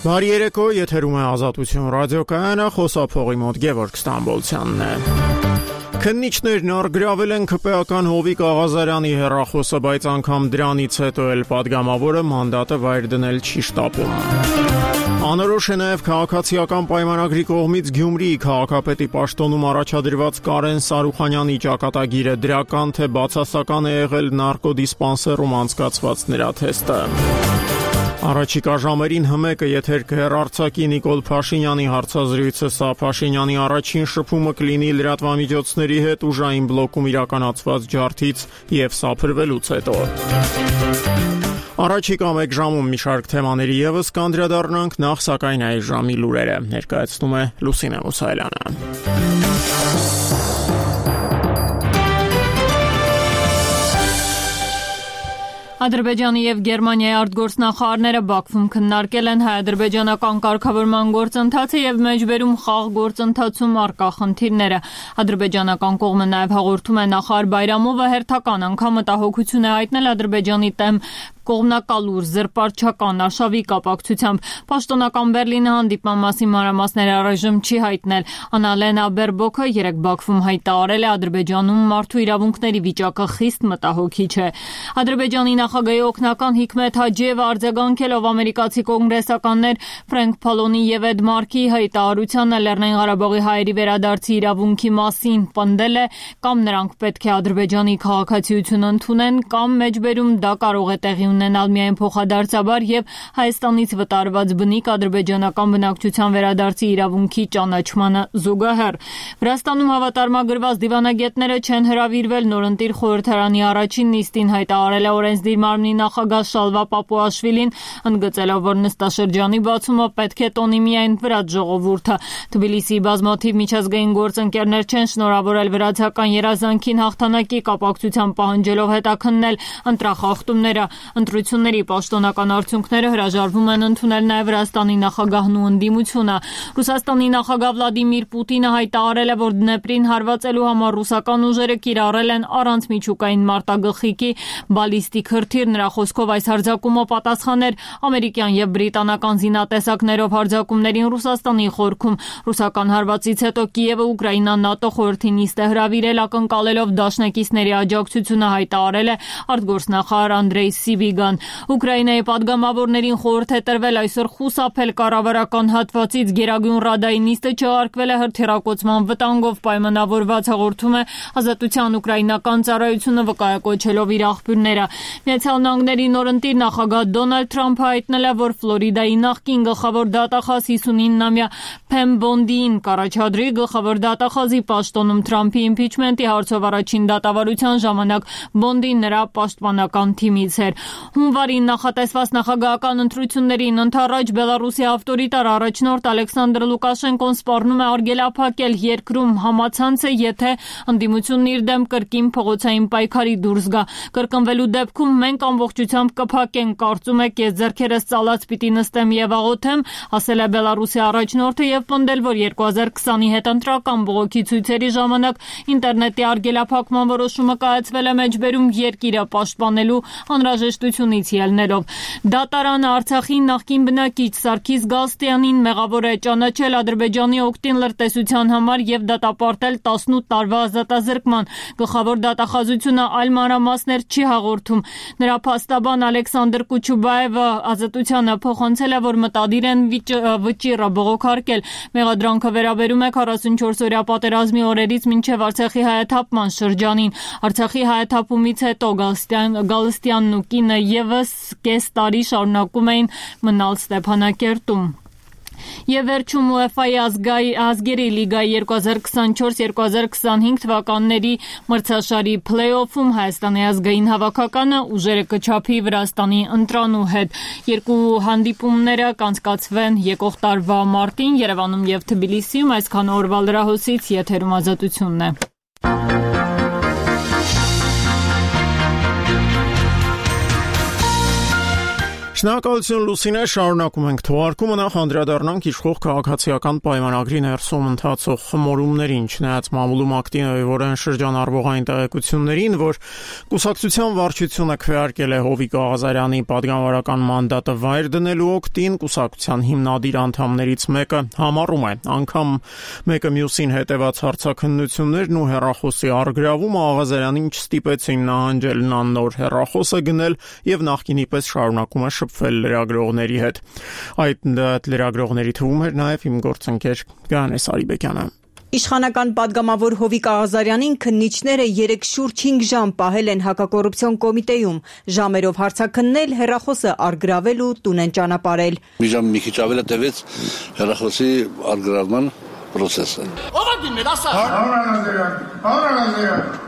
Բարի երեկո, եթերում է Ազատություն ռադիոկայանը, խոսափողի մոտ Գևորգ Ստամբոլցյանն է։ Քննիչներն առգրավել են ԿՊ-ական Հովիկ Աղազարյանի հեռախոսը, բայց անգամ դրանից հետո էլ падգամավորը մանդատը վայր դնել չի շտապում։ Անորոշ է նաև քաղաքացիական պայմանագրի կողմից Գյումրիի քաղաքապետի պաշտոնում առաջադրված Կարեն Սարուխանյանի ճակատագիրը դրական թե բացասական է եղել նարկոդիսպանսերում անցկացված նրա թեստը։ Առաջիկա ժամերին ՀՄԿ-ը եթեր կհեռարձակի Նիկոլ Փաշինյանի հարցազրույցը, սա Փաշինյանի առաջին շփումը կլինի լրատվամիջոցների հետ ուժային բլոկում իրականացված ջարդից եւ սափրվելուց հետո։ Առաջիկա մեկ ժամում մի շարք թեմաների եւս կանդրադառնանք, նախ սակայն այս ժամի լուրերը ներկայացնում է Լուսինե Մուսայելյանը։ Ադրբեջանի եւ Գերմանիայի արտգործնախարարները Բաքվում քննարկել են հայ-ադրբեջանական կարգավորման գործընթացը եւ մեջբերում խաղ գործընթացում առկա խնդիրները։ Ադրբեջանական կողմը նաեւ հաղորդում է նախարար Բայրամովը հերթական անգամ մտահոգություն է հայտնել Ադրբեջանի դեմ կողմնակալուր զրպարտչական արշավի կապակցությամբ։ Պաշտոնական Բերլինը հանդիպման մասին մանրամասներ առայժմ չի հայտնել։ Անալենա Բերբոքը երեկ Բաքվում հայտարարել է Ադրբեջանում մարդու իրավունքների վիճակը խիստ մտահոգիչ է։ Ադրբեջանի նախագահի օգնական Հիկմեթ Հաջիևը արձագանքելով ամերիկացի կոնգրեսականներ Ֆրենկ Փալոնի եւ Էդ Մարքի հայտարարությանը Լեռնային Ղարաբաղի հայերի վերադարձի իրավունքի մասին պնդել է, կամ նրանք պետք է Ադրբեջանի քաղաքացիություն ընդունեն, կամ մեջբերում դա կարող է տեղի ունենալ միայն փոխադարձաբար եւ Հայաստանից վտարված բնիկ ադրբեջանական բնակչության վերադարձի իրավունքի ճանաչմանը զուգահեռ։ Վրաստանում հավատարմագրված դիվանագետները չեն հրավիրվել նորընտիր խորհրդարանի առաջին նիստին, հայտարարել է օրենսդիր մարմնի նախագահ Շալվա Պապուաշվիլին, ընդգծելով, որ նստաշրջանի բացումը պետք է տոնի միայն վրաց ժողովուրդը։ Թբիլիսիի բազմաթիվ միջազգային գործընկերներ չեն շնորհավորել վրացական երազանքին հաղթանակի կապակցությամբ, պահանջելով հետաքննել ընտրախախտումները։ Ընտրությունների պաշտոնական արդյունքները հրաժարվում են ընդունել նաև Վրաստանի նախագահն ու ընդդիմությունը։ Ռուսաստանի նախագահ Վլադիմիր Պուտինը հայտարարել է, որ Դնեպրին հարվածելու համար ռուսական ուժերը կիրառել են առանց միջուկային մարտագլխիկի բալիստիկ հրթիռ։ Նրա խոսքով այս հարձակումը պատասխան էր ամերիկյան եւ բրիտանական զինատեսակներով հարձակումներին Ռուսաստանի խորքում։ Ռուսական հարվածից հետո Կիևը Ուկրաինան ՆԱՏՕ խորհրդի նիստ է հրավիրել, ակնկալելով դաշնակիցների աջակցությունը, հայտարարել է արտգործնախարար Անդրեյ Սիբիգան։ Ուկրաինայի падգամավորներին խորհուրդ է տրվել այսօր խուսափել կառավարական հատվածից։ Գերագույն Ռադայի նիստը չեղարկվել է հրթիռակոծման վտանգով պայմանավորված, հաղորդում է Ազատության ուկրաինական ծառայությունը, վկայակոչելով իր աղբյուրները։ Միացյալ Նահանգների նորընտիր նախագահ Դոնալդ Թրամփը հայտնել է, որ Ֆլորիդայի նախկին գլխավոր դատախազ 59-ամյա Փեմ Բոնդիին կառաջադրի գլխավոր դատախազի պաշտոնում Թրամփի իմպիչմենտի հարցով առաջին դատավարության ժամանակ Բոնդին նրա պաշտպանական թիմից էր։ Հունվարին նախատեսված նախագահական ընտրություններին ընդառաջ Բելարուսի ավտորիտար առաջնորդ Ալեքսանդր Լուկաշենկոն սպառնում է արգելափակել երկրում համացանցը, եթե ընդդիմությունն իր դեմ կրկին փողոցային պայքարի դուրս գա։ Կրկնվելու դեպքում մենք ամբողջությամբ կփակենք, կարծում եք, ես ձեռքերս ծալած պիտի նստեմ եւ աղոթեմ, ասել է Բելարուսի առաջնորդը եւ պնդել, որ 2020-ի հետընտրական բողոքի ցույցերի ժամանակ ինտերնետի արգելափակման որոշումը կայացվել է մեջբերում երկիրը պաշտպանելու անհրաժեշտությունից ելնելով։ Դատարանը Արցախի նախկին բնակիչ Սարգիս Գալստյանին մեղավոր է ճանաչել Ադրբեջանի օգտին լրտեսության համար եւ դատապարտել 18 տարվա ազատազրկման։ Գլխավոր դատախազությունը այլ մանրամասներ չի հաղորդում։ Նրա փաստաբան Ալեքսանդր Կուչուբաևը Ազատությանը փոխանցել է, որ մտադիր են վճիռը բողոքարկել։ Մեղադրանքը վերաբերում է 44-օրյա պատերազմի օրերից մինչև Արցախի հայաթափման շրջանին։ Արցախի հայաթափումից հետո Գալստյանն ու կինը եւս կես տարի շարունակում էին մնալ Ստեփանակերտում։ Եվ վերջում UEFA-ի ազգերի լիգայի 2024-2025 թվականների մրցաշարի փլեյօֆում Հայաստանի ազգային հավաքականը ուժերը կչափի Վրաստանի ընտրանու հետ։ Երկու հանդիպումները կանցկացվեն եկող տարվա մարտին Երևանում եւ Թբիլիսիում։ Այսքան օրվա լրահոսից եթերում Ազատությունն է։ Շնորհակալություն Լուսինե, շարունակում ենք թողարկումը, նախ անդրադառնանք իշխող քաղաքացիական պայմանագրի ներսում ընթացող խմորումներին, չնայած մամուլում ակտիվորեն շրջանառվող այն տեղեկություններին, որ կուսակցության վարչությունը քվեարկել է Հովիկ Աղազարյանի պատգամավորական մանդատը վայր դնելու օգտին, կուսակցության հիմնադիր անդամներից մեկը համառում է, անգամ մեկը մյուսին հետևած հարցաքննություններն ու հեռախոսի առգրավումը Աղազարյանին չստիպեցին նահանջել նոր հեռախոսը գնել եւ նախկինի պես շարունակում է շփվել լրագրողների հետ։ Այդ լրագրողների թվում էր նաև իմ գործընկեր Գանե Սարիբեկյանը։ Իշխանական պատգամավոր Հովիկ Աղազարյանին քննիչները 3 շուրջ 5 ժամ պահել են հակակոռուպցիոն կոմիտեում, ժամերով հարցաքննել, հեռախոսը առգրավել ու տուն են ճանապարհել։ Մի ժամ մի քիչ ավել է տևեց հեռախոսի առգրավման process-ը։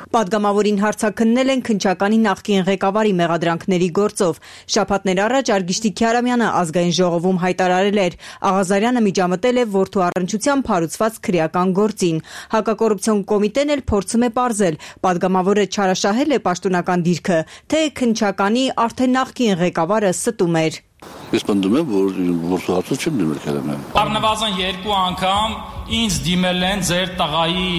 Պատգամավորին հարցաքննել են քննչականի նախկին ղեկավարի մեղադրանքների գործով։ Շաբաթներ առաջ Արգիշտի Քյարամյանը ազգային ժողովում հայտարարել էր, Աղազարյանը միջամտել է որդու առնչությամբ հարուցված քրեական գործին։ Հակակոռուպցիոն կոմիտեն էլ փորձում է պարզել, պատգամավորը չարաշահել է պաշտոնական դիրքը, թե քննչականի արդեն նախկին ղեկավարը ստում էր։ Ես պնդում եմ, որ որդու հարցը չեմ դիմել Քյարամյանին։ Առնվազն 2 անգամ ինձ դիմել են ձեր տղայի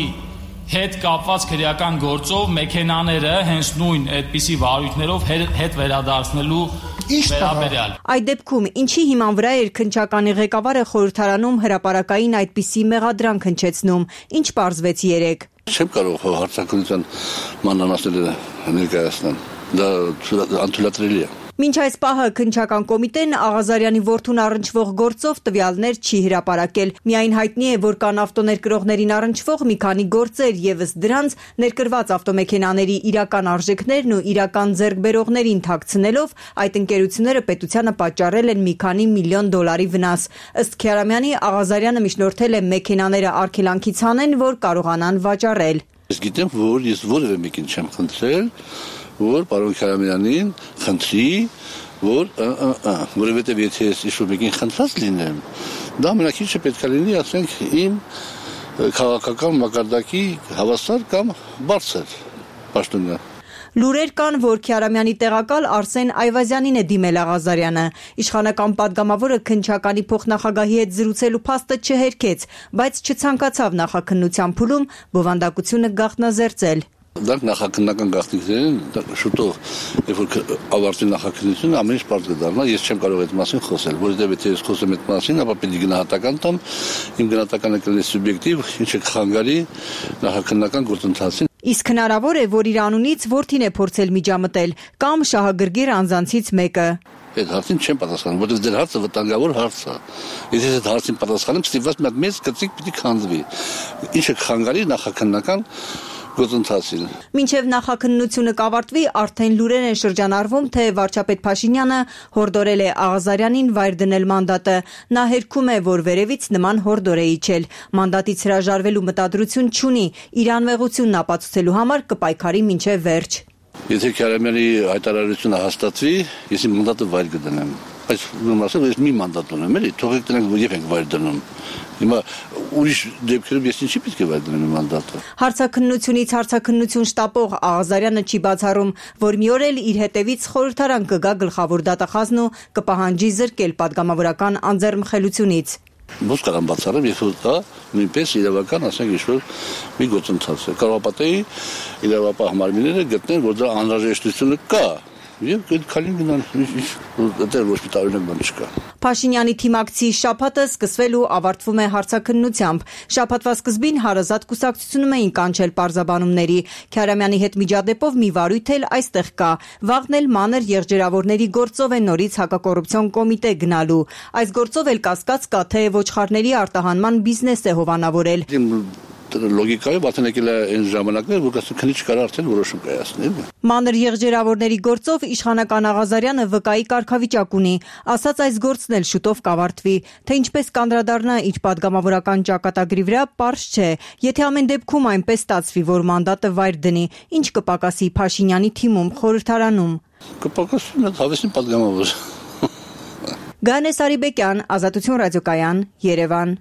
հետ կապված քրեական գործով մեքենաները հենց նույն այդպիսի վարույթներով հետ վերադարձնելու վերաբերյալ։ Այդ դեպքում ինչի հիման վրա էր քննչականի ղեկավարը խորհրդարանում հրապարակային այդպիսի մեղադրանք հնչեցնում, ինչ պարզվեց երեկ։ Չեմ կարող հարցաքննության մանրամասները ներկայացնել։ Դա անթույլատրելի է։ Մինչ այս պահը քննչական կոմիտեն Աղազարյանի որդուն առնչվող գործով տվյալներ չի հրապարակել։ Միայն հայտնի է, որ կան ավտոներկրողներին առնչվող մի քանի գործեր, եւս դրանց ներկրված ավտոմեքենաների իրական արժեքներն ու իրական ձեռքբերողներին թաքցնելով այդ ընկերությունները պետությանը պատճառել են մի քանի միլիոն դոլարի վնաս։ Ըստ Քյարամյանի, Աղազարյանը միջնորդել է մեքենաները արգելանքից հանեն, որ կարողանան վաճառել։ Ես գիտեմ, որ ես որևէ մեկին չեմ խնդրել, որ պարոն Քյարամյանին խնդրի, որովհետև եթե ես ինչ-որ մեկին խնդրած լինեմ, դա ամենակիչը պետք է լինի, ասենք, իմ քաղաքական մակարդակի հավասար կամ բարձր պաշտոնյա։ Լուրեր կան, որ Քյարամյանի տեղակալ Արսեն Այվազյանին է դիմել Աղազարյանը։ Իշխանական պատգամավորը քննչականի փոխնախագահի հետ զրուցելու փաստը չհերքեց, բայց չցանկացավ նախաքննության փուլում բովանդակությունը գաղտնազերծել։ Դրանք նախաքննական գաղտնիքներ են, շուտով, երբ որ ավարտվի նախաքննությունը, ամեն ինչ պարզ կդառնա, ես չեմ կարող այդ մասին խոսել, որովհետև եթե ես խոսեմ այդ մասին, ապա պետք է գնահատական տամ, իմ գնահատականը կլինի սուբյեկտիվ, ինչը կխանգարի նախաքննական գործընթացին։ Իսկ հնարավոր է, որ իր անունից որդին է փորձել միջամտել կամ շահագրգիռ անձանցից մեկը։ Այդ հարցին չեմ պատասխանում, որովհետև դեր հարցը վտանգավոր հարց է։ Եթե այդ հարցին պատասխանեմ, ստիպված մի հատ մեծ կծիկ պիտի քանդվի, ինչը կխանգարի նախաքննական գործընթացին։ Մինչև նախաքննությունը կավարտվի, արդեն լուրեր են շրջանառվում, թե վարչապետ Փաշինյանը հորդորել է Աղազարյանին վայր դնել մանդատը։ Նա հերքում է, որ վերևից նման հորդոր է իջել։ Մանդատից հրաժարվելու մտադրություն չունի, իր անմեղությունն ապացուցելու համար կպայքարի մինչև վերջ։ Եթե Քյարամյանի հայտարարությունը հաստատվի, ես իմ մանդատը վայր կդնեմ։ Բայց ասեմ, ես մի մանդատ ունեմ, էլի, թողեք դրանք եւ ենք վայր դնում։ Հիմա ուրիշ դեպքերում ես ինչի պետք է վայր դնեմ իմ մանդատը։ Հարցաքննությունից հարցաքննություն շտապող Աղազարյանը չի բացառում, որ մի օր էլ իր հետևից խորհրդարան կգա գլխավոր դատախազն ու կպահանջի զրկել պատգամավորական անձեռնմխելությունից։ Ոնց կարող եմ բացառեմ, երբ որ դա նույնպես իրավական, ասենք, ինչ-որ մի գործընթաց է։ Կարող պատեի իրավապահ մարմինները գտնեն, որ դրա անհրաժեշտությունը կա։ Եվ քալին գնան, դա ոչ մի տարօրինակ բան չկա։ Փաշինյանի թիմակցի շաբաթը սկսվել ու ավարտվում է հարցաքննությամբ։ Շաբաթվա սկզբին հարազատ կուսակցությունում էին կանչել պարզաբանումների։ Քյարամյանի հետ միջադեպով մի վարույթ էլ այստեղ կա։ Վաղն էլ մանր եղջերավորների գործով է նորից հակակոռուպցիոն կոմիտե գնալու։ Այս գործով էլ կասկած կա, թե ոչխարների արտահանման բիզնես է հովանավորել։ Լոգիկայով ատենեկել է այն ժամանակներ, որ քննիչ կարող արդեն որոշում կայացնել։ Մանր եղջերավորների գործով իշխանական Աղազարյանը վկայի կարգավիճակ ունի, ասաց այս գործն էլ շուտով կավարտվի, թե ինչպես կանդրադառնա իր պատգամավորական ճակատագրի վրա, պարզ չէ։ Եթե ամեն դեպքում այնպես ստացվի, որ մանդատը վայր դնի, ինչ կպակասի Փաշինյանի թիմում, խորհրդարանում։ Կպակասի մի հավեսին պատգամավոր։ Գանե Սարիբեկյան, Ազատություն ռադիոկայան, Երևան։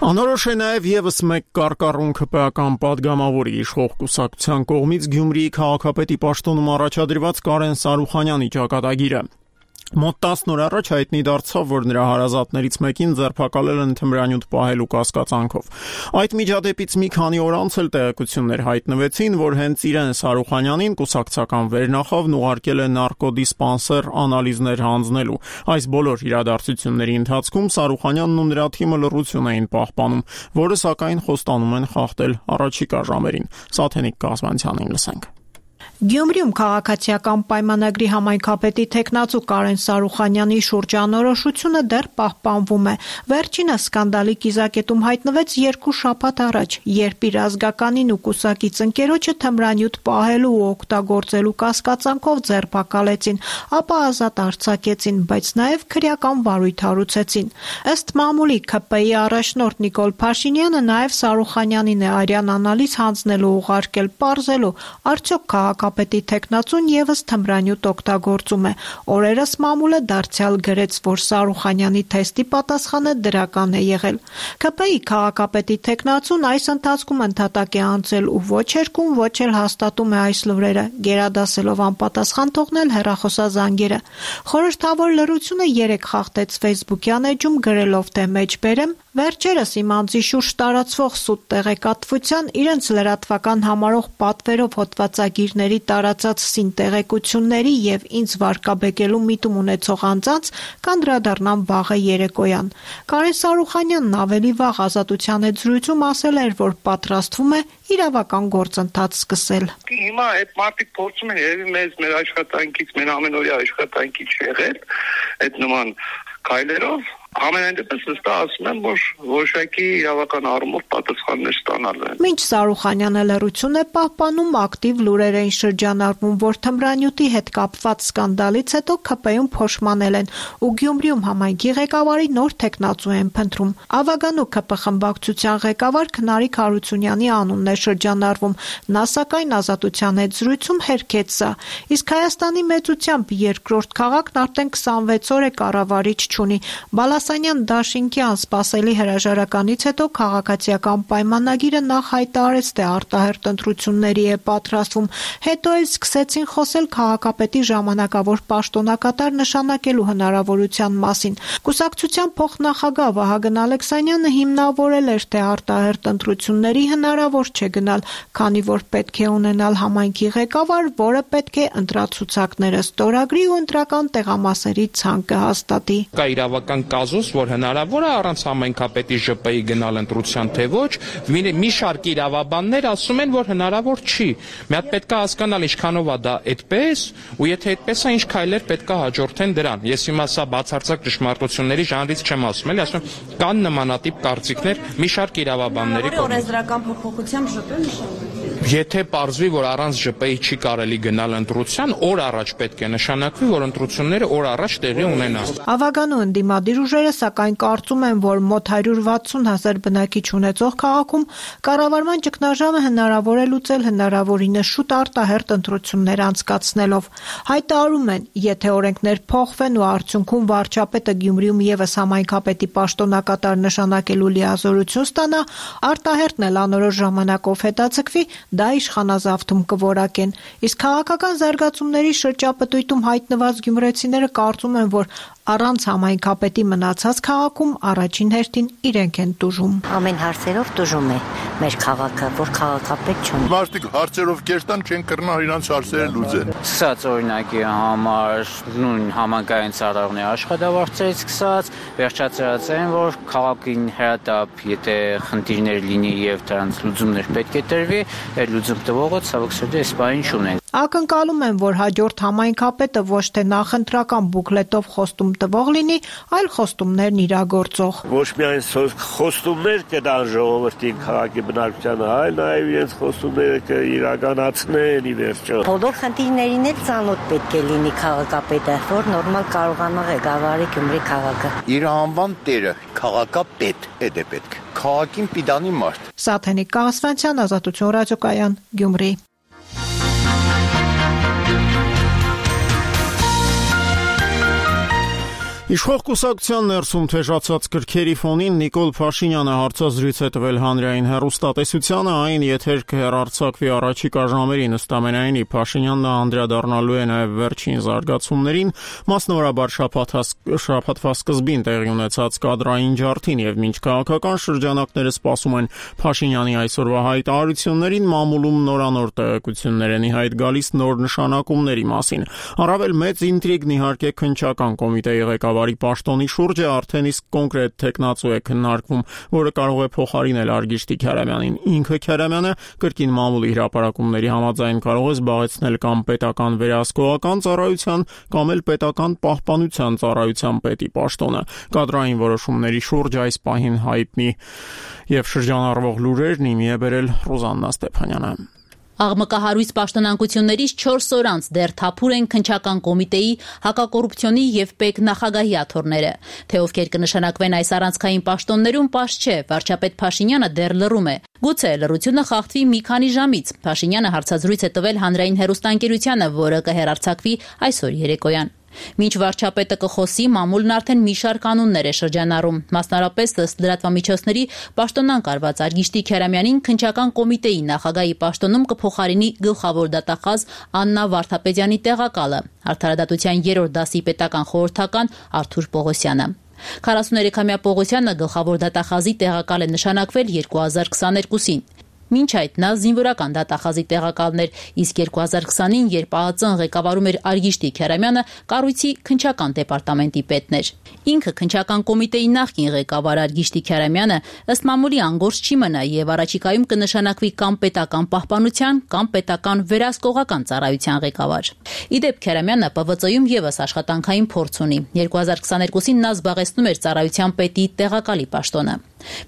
Անորոշ է նաև եւս մեկ կարկառուն ԿՊԱ-ական падգամավորի իշխող կուսակցության կողմից Գյումրիի քաղաքապետի պաշտոնում առաջադրված Կարեն Սարուխանյանի ճակատագիրը։ Մոտ 10 օր առաջ հայտնի դարձավ, որ նրա հարազատներից մեկին ձերբակալել են թմրանյութ պահելու կասկածանքով։ Այդ միջադեպից մի քանի օր անց էլ տեղեկություններ հայտնվեցին, որ հենց իրեն Սարուխանյանին կուսակցական վերնախավն ուղարկել է նարկոդիսպանսեր անալիզներ հանձնելու։ Այս բոլոր իրադարձությունների ընթացքում Սարուխանյանն ու նրա թիմը լռություն էին պահպանում, որը սակայն խոստանում են խախտել առաջիկա ժամերին։ Սաթենիկ Կազմանցյանին լսենք։ Գյումրիում քաղաքացիական պայմանագրի համայնքապետի թեկնածու Կարեն Սարուխանյանի շուրջանորոշությունը դեռ պահպանվում է։ Վերջինս սկանդալի կիզակետում հայտնվեց 2 շաբաթ առաջ, երբ իր ազգականին ու կուսակից ընկերոջը թմրանյութ պահելու ու օգտագործելու կասկածանքով ձերբակալեցին, ապա ազատ արձակեցին, բայց նաև քրեական վարույթ հարուցեցին։ Ըստ մամուլի ՔՊ-ի առաջնորդ Նիկոլ Փաշինյանը նաև Սարուխանյանին է արյան անալիզ հանձնելու ուղարկել, պարզելու, արդյոք քաղաքապետի թեկնածուն եւս թմրանյութ օգտագործում է։ Օրերս մամուլը դարձյալ գրեց, որ Սարուխանյանի թեստի պատասխանը դրական է եղել։ ՔՊ-ի քաղաքապետի թեկնածուն այս ընթացքում ընդհատակ է անցել ու ոչ երկում, ոչ էլ հաստատում է այս լուրերը, գերադասելով անպատասխան թողնել հեռախոսազանգերը։ Խորհրդավոր լրությունը 3 խախտեց Facebook-յան էջում գրելով, թե մեջբերեմ, վերջերս իմ անձի շուրջ տարածվող սուտ տեղեկատվության իրենց լրատվական համարող պատվերով հոդվածագիրների տարածած սին տեղեկությունների եւ ինձ վարկաբեկելու միտում ունեցող անձանց կանդրադառնան վաղը երեկոյան։ Կարեն Սարուխանյանն ավելի վաղ Ազատության հետ զրույցում ասել էր, որ պատրաստվում է իրավական գործընթաց սկսել։ Հիմա այդ մարդիկ փորձում են երևի մեր աշխատանքից, մեր ամենօրյա աշխատանքից եղել այդ նման քայլերով։ Ամենայն դեպս վստահ ասում եմ, որ որոշակի իրավական առումով պատասխաններ ստանալու են։ Մինչ Սարուխանյանը լռություն է պահպանում, ակտիվ լուրեր էին շրջանառվում, որ թմրանյութի հետ կապված սկանդալից հետո ՔՊ-ում փոշմանել են ու Գյումրիում համայնքի ղեկավարի նոր թեկնածու են փնտրում։ Ավագանու ՔՊ խմբակցության ղեկավար Քնարիկ Հարությունյանի անունն է շրջանառվում։ Նա սակայն Ազատության հետ զրույցում հերքեց սա։ Իսկ Հայաստանի մեծությամբ երկրորդ քաղաքն արդեն 26 օր է կառավարիչ չունի։ Բալասանյան Դաշինքյան սպասելի հրաժարականից հետո քաղաքացիական պայմանագիրը նախ հայտարարեց, թե արտահերթ ընտրությունների է պատրաստվում, հետո էլ սկսեցին խոսել քաղաքապետի ժամանակավոր պաշտոնակատար նշանակելու հնարավորության մասին։ Կուսակցության փոխնախագահ Վահագն Ալեքսանյանը հիմնավորել էր, թե արտահերթ ընտրությունների հնարավոր չէ գնալ, քանի որ պետք է ունենալ համայնքի ղեկավար, որը պետք է ընտրացուցակները ստորագրի ու ընտրական տեղամասերի ցանկը հաստատի։ Կա իրավական կազուս, որ հնարավոր է առանց համայնքապետի ԺՊ-ի գնալ ընտրության, թե ոչ, մի շարք իրավաբաններ ասում են, որ հնարավոր չի։ Մի հատ պետք է հասկանալ ինչքանով է դա այդպես, ու եթե այդպես է, ինչ քայլեր պետք է հաջորդեն դրան։ Ես հիմա սա բացարձակ ճշմարտությունների ժանրից չեմ ասում, էլի ասում եմ, կան նմանատիպ կարծիքներ մի շարք իրավաբանների կողմից։ Օրենսդրական փոփոխությամբ ԺՊ-ը նշանակի։ Եթե պարզվի, որ առանց ԺՊ-ի չի կարելի գնալ ընտրության, օր առաջ պետք է նշանակվի, որ ընտրությունները օր առաջ տեղի ունենան։ Ավագանու ընդդիմադիր ուժերը սակայն կարծում են, որ մոտ 160,000 բնակիչ ունեցող քաղաքում կառավարման ճգնաժամը հնարավոր է լուծել հնարավորինս շուտ արտահերթ ընտրություններ անցկացնելով։ Հայտարարում են, եթե օրենքներ փոխվեն ու արդյունքում վարչապետը Գյումրիում եւս համայնքապետի պաշտոնակատար նշանակելու լիազորություն ստանա, արտահերթն էլ անորոշ ժամանակով հետաձգվի, դա իշխանազավթում կորակեն։ Իսկ քաղաքական զարգացումների շրջապտույտում հայտնված գյումրեցիները կարծում են, որ առանց համայնքապետի մնացած քաղաքում առաջին հերթին իրենք են տուժում։ Ամեն հարցերով տուժում է մեր քաղաքը, որ քաղաքապետ չունի։ Մարդիկ հարցերով կերտան չեն կրնա իրանց հարցերը լուծել։ Սկսած օրինակի համար նույն համակային ծառայողների աշխատավարձերից սկսած, վերջացրած են, որ քաղաքին հրատապ, եթե խնդիրներ լինի եւ դրանց լուծումներ պետք է տրվի, այդ լուծում տվողը ցավոք սրտի այս բանին չունեն։ Ակնկալում են, որ հաջորդ համայնքապետը ոչ թե նախընտրական բուկլետով խոստում տվող լինի, այլ խոստումներն իրագործող։ Ոչ միայն խոստումներ կդան ժողովրդին քաղաքի բնակչությանը, այլ նաև իրենց խոստումները կիրականացնեն ի վերջո։ Բոլոր խնդիրներին էլ ծանոթ պետք է լինի քաղաքապետը, որ նորմալ կարողանա ղեկավարի Գյումրի քաղաքը։ Իր անվան տերը քաղաքապետ է պետք։ Քաղաքին պիտանի մարդ։ Սաթենիկ Կազմանցյան, Ազատություն ռադիոկայան, Գյումրի։ Իշխող կուսակցության ներսում թեժացած կրքերի ֆոնին Նիկոլ Փաշինյանը հարցազրույց է տվել հանրային հեռուստատեսությանը, այն եթեր կհեռարձակվի առաջիկա ժամերին, ըստ ամենայնի Փաշինյանն անդրադառնալու է նաև վերջին զարգացումներին, մասնավորաբար շաբաթվա սկզբին տեղի ունեցած կադրային ջարդին, եւ մինչ քաղաքական շրջանակները սպասում են Փաշինյանի այսօրվա հայտարարություններին, մամուլում նորանոր տեղեկություններ են ի հայտ գալիս նոր նշանակումների մասին։ Առավել մեծ ինտրիգն իհարկե քննչական կոմիտեի ղեկավարի պաշտոնի շուրջը արդեն իսկ կոնկրետ տեխնացու է քննարկվում, որը կարող է փոխարինել Արգիշտի Քարամյանին։ Ինքը Քարամյանը կրկին մամուլի հրապարակումների համաձայն կարող է զբաղեցնել կամ պետական վերահսկողական ծառայության, կամ էլ պետական պահպանության ծառայության պետի պաշտոնը։ Կադրային որոշումների շուրջ այս պահին հայտնի եւ շրջանառվող լուրերն իմի է բերել Ռուզաննա Ստեփանյանը։ Աղմկահարույց պաշտոնանկություններից 4 օր անց դեռ թափուր են քննչական կոմիտեի, հակակոռուպցիոնի եւ ՊԵԿ նախագահի աթոռները։ Թե ովքեր կնշանակվեն այս առանցքային պաշտոններում, պարզ չէ, վարչապետ Փաշինյանը դեռ լռում է։ Գուցե լռությունը խախտվի մի քանի ժամից։ Փաշինյանը հարցազրույց է տվել հանրային հեռուստաընկերությանը, որը կհեռարձակվի այսօր երեկոյան։ Մինչ վարչապետը կխոսի, մամուլն արդեն մի շարք կանոններ է շրջանառում։ Մասնարարպես ըստ լրատվամիջոցների պաշտոնանկ արված Արգիշտի Քարամյանին քննչական կոմիտեի նախագահի պաշտոնում կփոխարինի գլխավոր դատախազ Աննա Վարդապետյանի տեղակալը, Արդարադատության 3-րդ դասի պետական խորհրդական Արթուր Պողոսյանը։ 43-ամյա Պողոսյանը գլխավոր դատախազի տեղակալ է նշանակվել 2022-ին։ Մինչ այդ նա զինվորական դատախազի տեղակալն էր, իսկ 2020-ին, երբ ԱԱԾ-ն ղեկավարում էր Արգիշտի Քարամյանը, կառույցի քննչական դեպարտամենտի պետն էր։ Ինքը քննչական կոմիտեի նախկին ղեկավար Արգիշտի Քարամյանը ըստ մամուլի անգործ չի մնա եւ առաջիկայում կնշանակվի կամ պետական պահպանության, կամ պետական վերահսկողական ծառայության ղեկավար։ Իդեպ Քարամյանը ՊՎԾ-ում եւս աշխատանքային փորձ ունի։ 2022-ին նա զբաղեցնում էր ծառայության պետի տեղակալի պաշտոնը։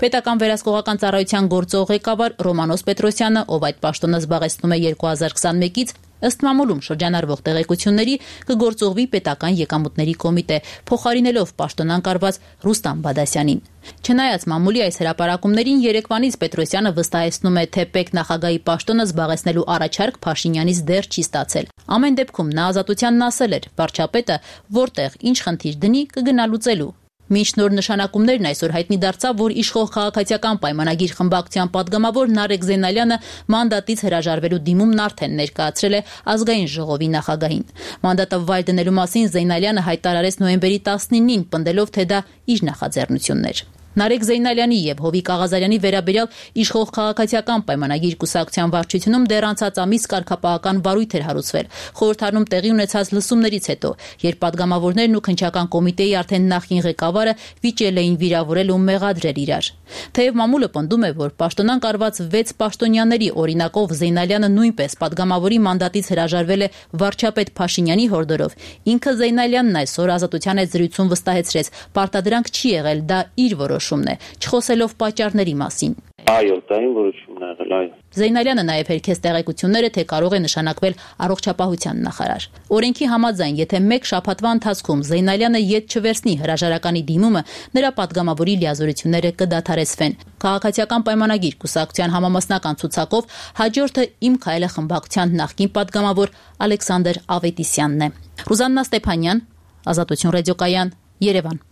Պետական վերահսկողական ծառայության գործող ղեկավար Ռոմանոս Պետրոսյանը, ով այդ պաշտոնը զբաղեցնում է 2021-ից, ըստ մամուլում շրջանառվող տեղեկությունների կգործողվի պետական եկամուտների կոմիտե, փոխարինելով պաշտոնանկ արված Ռուստամ Բադասյանին։ Չնայած մամուլի այս հրապարակումներին երեկվանից Պետրոսյանը վստահեցնում է, թե ՊԵԿ նախագահի պաշտոնը զբաղեցնելու առաջարկ Փաշինյանից դեռ չի ստացել։ Ամեն դեպքում նա ազատությանն ասել էր, վարչապետը որտեղ ինչ խնդիր դնի կգնալուծելու։ Մինչ նոր նշանակումներն այսօր հայտնի դարձավ, որ իշխող քաղաքացիական պայմանագիր խմբակցության падգամավոր Նարեկ Զեյնալյանը մանդատից հրաժարվելու դիմումն արդեն ներկայացրել է ազգային ժողովի նախագահին։ Մանդատը վայր դնելու մասին Զեյնալյանը հայտարարեց նոյեմբերի 19-ին, պնդելով, թե դա իր նախաձեռնությունն էր։ Նարեկ Զեյնալյանի եւ Հովիկ Աղազարյանի վերաբերյալ իշխող քաղաքացիական պայմանագիր կուսակցության վարչությունում դեռ անցած ամիս կարգապահական վարույթ էր հարուցվել։ Խորհրդարանում տեղի ունեցած լսումներից հետո, երբ падգամավորներն ու քննչական կոմիտեի արդեն նախին ղեկավարը վիճել էին վիրավորել ու մեղադրել իրար։ Թեև մամուլը պնդում է, որ պաշտոնանկ արված 6 պաշտոնյաների օրինակով Զեյնալյանը նույնպես падգամավորի մանդատից հրաժարվել է վարչապետ Փաշինյանի հորդորով, ինքը Զեյնալյանն այսօր ազատության այդ զրույցում վստահեցրեց, պարտադրանք չի եղել, դա իր որոշումն է, չխոսելով պատճառների մասին։ Այո, դա իմ որոշումն է եղել, այո։ Զեյնալյանը նաև հերքեց տեղեկությունները, թե կարող է նշանակվել առողջապահության նախարար։ Օրենքի համաձայն, եթե մեկ շաբաթվա ընթացքում Զեյնալյանը ետ չվերցնի հրաժարականի դիմումը, նրա падգամավորի լիազորությունները կդադարեցվեն։ Քաղաքացիական պայմանագիր կուսակցության համամասնական ցուցակով հաջորդը Իմ քայլը խմբակցության նախկին падգամավոր Ալեքսանդր Ավետիսյանն է։ Ռուզաննա Ստեփանյան, Ազատություն ռադիոկայան, Երևան։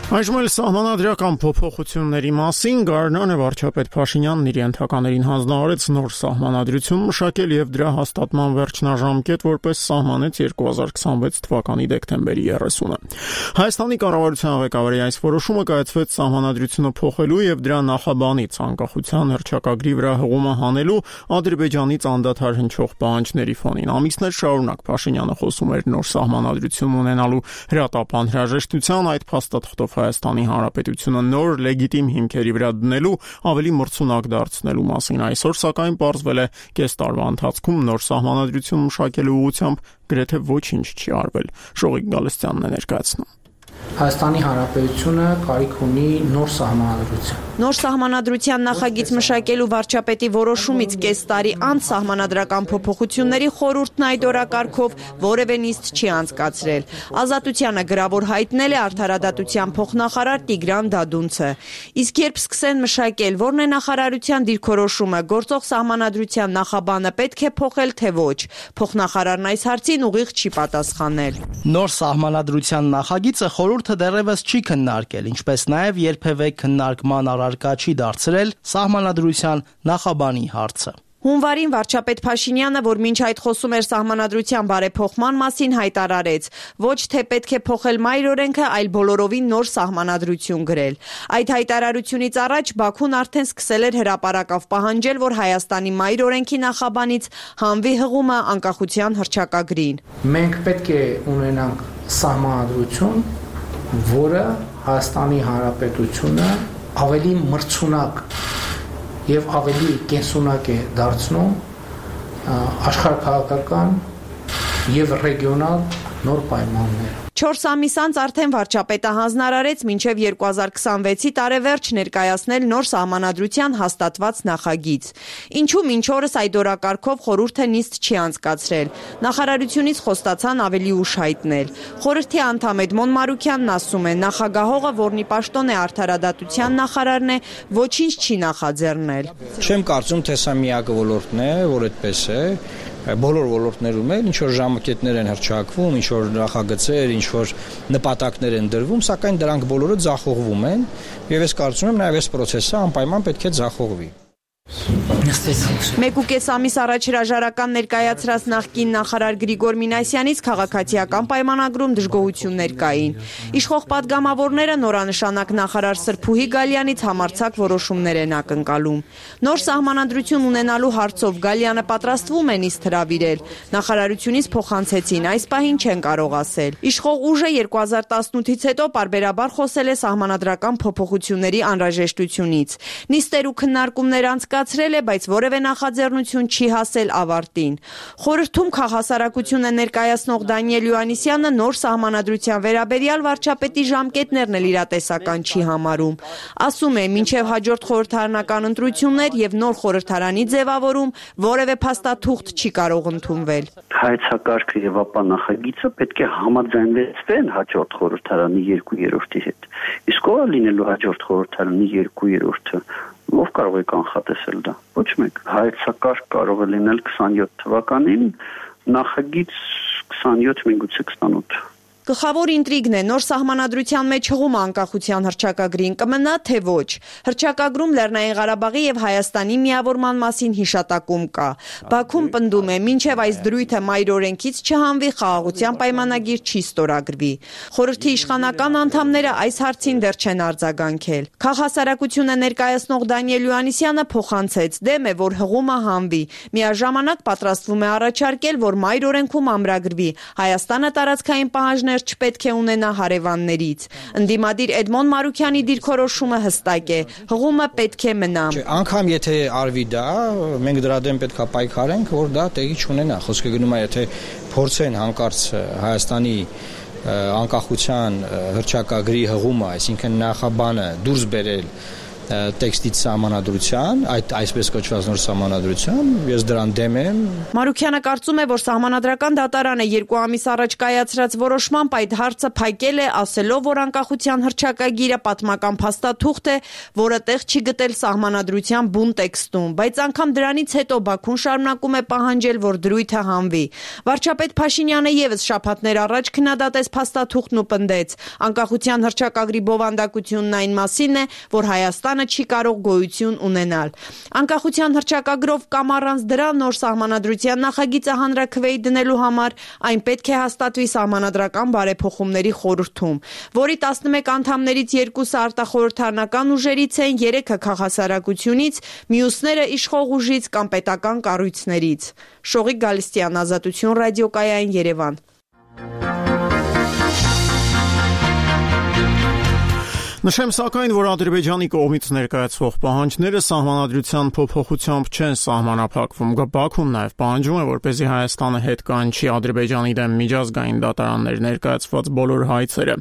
Այժմ էլ սահմանադրական փոփոխությունների մասին Գարնանը վարչապետ Փաշինյանն իր ենթականերին հանձնարարեց նոր սահմանադրություն մշակել եւ դրա հաստատման վերջնաժամկետ որպես սահմանեց 2026 թվականի դեկտեմբերի 30-ը։ Հայաստանի կառավարության ղեկավարի այս որոշումը կայացվեց սահմանադրությունը փոխելու եւ դրա նախաբանից անկախության հռչակագրի վրա հղումը հանելու Ադրբեջանից անդադար հնչող պահանջների ֆոնին։ Ամիսներ շարունակ Փաշինյանը խոսում էր նոր սահմանադրություն ունենալու հրատապ անհրաժեշտության, այդ փաստաթղթով Հայաստանի Հանրապետությունը նոր լեգիտիմ հիմքերի վրա դնելու ավելի մրցունակ դարձնելու մասին։ Այսօր սակայն պարզվել է կես տարվա ընթացքում նոր սահմանադրություն մշակելու ուղղությամբ գրեթե ոչինչ չի արվել։ Շողիկ Գալստյանն է ներկայացնում։ Հայաստանի Հանրապետությունը կարիք ունի նոր սահմանադրության։ Նոր սահմանադրության նախագիծ մշակելու վարչապետի որոշումից կես տարի անց սահմանադրական փոփոխությունների խորհուրդն այդ օրակարգով որևէ նիստ չի անցկացրել։ Ազատությանը գրավոր հայտնել է արդարադատության փոխնախարար Տիգրան Դադունցը։ Իսկ երբ սկսեն մշակել, որն է նախարարության դիրքորոշումը, գործող սահմանադրության նախաբանը պետք է փոխել, թե ոչ։ Փոխնախարարն այս հարցին ուղիղ չի պատասխանել։ Նոր սահմանադրության նախագիծը խորհուրդը դեռևս չի քննարկել, ինչպես նաև երբևէ քննարկման առարկա չի դարձրել սահմանադրության նախաբանի հարցը։ Հունվարին վարչապետ Փաշինյանը, որ մինչ այդ խոսում էր սահմանադրության բարեփոխման մասին, հայտարարեց. ոչ թե պետք է փոխել մայր օրենքը, այլ բոլորովին նոր սահմանադրություն գրել։ Այդ հայտարարությունից առաջ Բաքուն արդեն սկսել էր հրապարակավ պահանջել, որ Հայաստանի մայր օրենքի նախաբանից հանվի հղումը անկախության հռչակագրին։ Մենք պետք է ունենանք սահմանադրություն, որը Հայաստանի Հանրապետությունը ավելի մրցունակ եւ ավելի կենսունակ է դարձնում աշխարհաքաղաքական եւ ռեգիոնալ նոր պայմաններ։ 4 ամիս անց արդեն վարչապետը հանձնարարեց մինչև 2026-ի տարեվերջ ներկայացնել նոր սահմանադրության հաստատված նախագիծ։ Ինչու մինչ օրս այդ օրակարգով խորհուրդը նիստ չի անցկացրել։ Նախարարությունից խոստացան ավելի ուշ հայտնել։ Խորհրդի անդամ Էդմոն Մարուքյանն ասում է, նախագահողը, որն ի պաշտոն է արդարադատության նախարարն է, ոչինչ չի նախաձեռնել։ Չեմ կարծում, թե սա միակ ոլորտն է, որ այդպես է։ Բոլոր ոլորտներում էլ ինչ որ ժամկետներ են հռչակվում, ինչ որ նախագծեր, ինչ որ նպատակներ են դրվում, սակայն դրանք բոլորը ձախողվում են, եւ ես կարծում եմ նաեւ այս process-ը անպայման պետք է ձախողվի։ 1.5 ամիս առաջ հրաժարական ներկայացրած նախկին նախարար Գրիգոր Մինասյանից քաղաքացիական պայմանագրում դժգոհություններ կային։ Իշխող պատգամավորները նորանշանակ նախարար Սրփուհի Գալյանից համարձակ որոշումներ են ակնկալում։ Նոր սահմանադրություն ունենալու հարցով Գալյանը պատրաստվում է նիստ հրավիրել։ Նախարարությունից փոխանցեցին, այս պահին չեն կարող ասել։ Իշխող ուժը 2018-ից հետո պարբերաբար խոսել է սահմանադրական փոփոխությունների անհրաժեշտությունից։ Նիստեր ու քննարկումներ անցկացրել է, բայց որևէ նախաձեռնություն չի հասել ավարտին։ Խորհրդում քաղաքասարակությունը ներկայացնող Դանիել Յուանիսյանը նոր սահմանադրության վերաբերյալ վարչապետի ժամկետներն էլ իրատեսական չի համարում։ Ասում է, մինչև հաջորդ խորհրդարանական ընտրություններ եւ նոր խորհրդարանի ձևավորում որևէ փաստաթուղթ չի կարող ընդունվել։ Հայեցակարգը եւ ապա նախագիծը պետք է համաձայնվեն հաջորդ խորհրդարանի 2/3-ի հետ։ Իսկ ով լինելու հաջորդ խորհրդարանի 2/3-ը, ով կարող է կանխատեսել դա։ Ոչ մեկ։ Հայեցակարգ կարող է լինել 27 թվականին, նախագիծ 27, միգուցե 28։ Գլխավոր ինտրիգն է նոր սահմանադրության մեջ հղումը անկախության հռչակագրին կմնա, թե ոչ։ Հռչակագրում Լեռնային Ղարաբաղի եւ Հայաստանի միավորման մասին հիշատակում կա։ Բաքուն պնդում է, մինչև այս դրույթը մայր օրենքից չհանվի, խաղաղության պայմանագիր չի ստորագրվի։ Խորհրդի իշխանական անդամները այս հարցին դեռ չեն արձագանքել։ Քաղաքասարակությունը ներկայացնող Դանիել Յուանիսյանը փոխանցեց, դեմ է, որ հղումը հանվի։ Միաժամանակ պատրաստվում է առաջարկել, որ մայր օրենքում ամրագրվի Հայաստանը տարածքային պահանջներ չպետք է ունենա հարևաններից։ Ընդդիմադիր Էդմոն Մարուքյանի դիրքորոշումը հստակ է, հղումը պետք է մնա։ Անգամ եթե արվի դա, մենք դրա դեմ պետք է պայքարենք, որ դա տեղի չունենա։ Խոսքը գնում է, եթե փորձեն հանկարծ Հայաստանի անկախության հռչակագրի հղումը, այսինքն նախաբանը դուրս բերել տեքստից սահմանադրության, այսպես կոչված նոր սահմանադրության, ես դրան դեմ եմ։ Մարուքյանը կարծում է, որ սահմանադրական դատարանը 2 ամիս առաջ կայացրած որոշմամբ այդ հարցը փակել է, ասելով, որ անկախության հռչակագիրը պատմական փաստաթուղթ է, որը տեղ չի գտել սահմանադրության բուն տեքստում, բայց անգամ դրանից հետո Բաքուն շարունակում է պահանջել, որ դրույթը հանվի։ Վարչապետ Փաշինյանը եւս շաբաթներ առաջ քննադատեց փաստաթուղթն ու պնդեց, անկախության հռչակագրի բովանդակությունն այն մասին է, որ Հայաստանը չի կարող գոյություն ունենալ։ Անկախության հռչակագրով կամ առանց դրա նոր սահմանադրության նախագիծը հանրաքվեի դնելու համար այն պետք է հաստատվի սահմանադրական բարեփոխումների խորհրդում, որի 11 անդամներից 2-ը արտախորհրդարանական ուժերից են, 3-ը քաղաքասարակությունից, մյուսները իշխող ուժից կամ պետական կառույցներից։ Շողիկ Գալստյան, Ազատություն ռադիոկայան, Երևան։ Նշեմ սակայն, որ Ադրբեջանի կողմից ներկայացվող պահանջները սահմանադրության փոփոխությամբ չեն սահմանափակվում։ Բաքուն նաև պահանջում է, որպեսզի Հայաստանը հետ կանչի Ադրբեջանի դեմ միջազգային դատարաններ ներկայացված բոլոր հայցերը։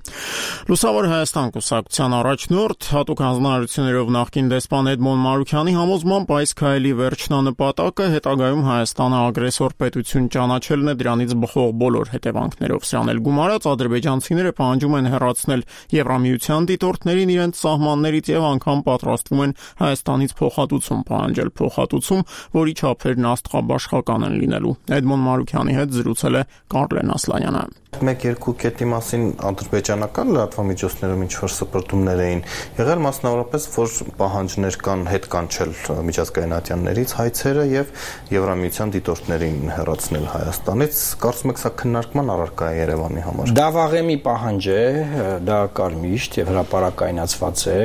Լուսավոր Հայաստան կուսակցության առաջնորդ հատուկ հանձնարարություններով նախկին դեսպան Էդմոն Մարուքյանի համոզմամբ այս քայլի վերջնանպատակը հետագայում Հայաստանը ագրեսոր պետություն ճանաչելն է, դրանից բխող բոլոր հետևանքներով։ Սրան էլ գումարած ադրբեջանցիները պահանջում են հեռացնել Եվրամիության դիտորդներին իրենց սահմաններից եւ անգամ պատրաստվում են Հայաստանից փոխհատուցում պահանջել, փոխհատուցում, որի չափերն աստղաբաշխական են լինելու։ Էդմոն Մարուքյանի հետ զրուցել է Կարլեն Ասլանյանը։ 1-2 կետի մասին ադրբեջանական լրատվամիջոցներում ինչ-որ սպրտումներ էին եղել, մասնավորապես, որ պահանջներ կան հետ կանչել միջազգային ատյաններից հայցերը եւ Եվրամիության դիտորդներին հեռացնել Հայաստանից։ Կարծում եք սա քննարկման առարկա է Երևանի համար։ Դա վաղեմի պահանջ է, դա կար միշտ եւ հրապարակայնացված է,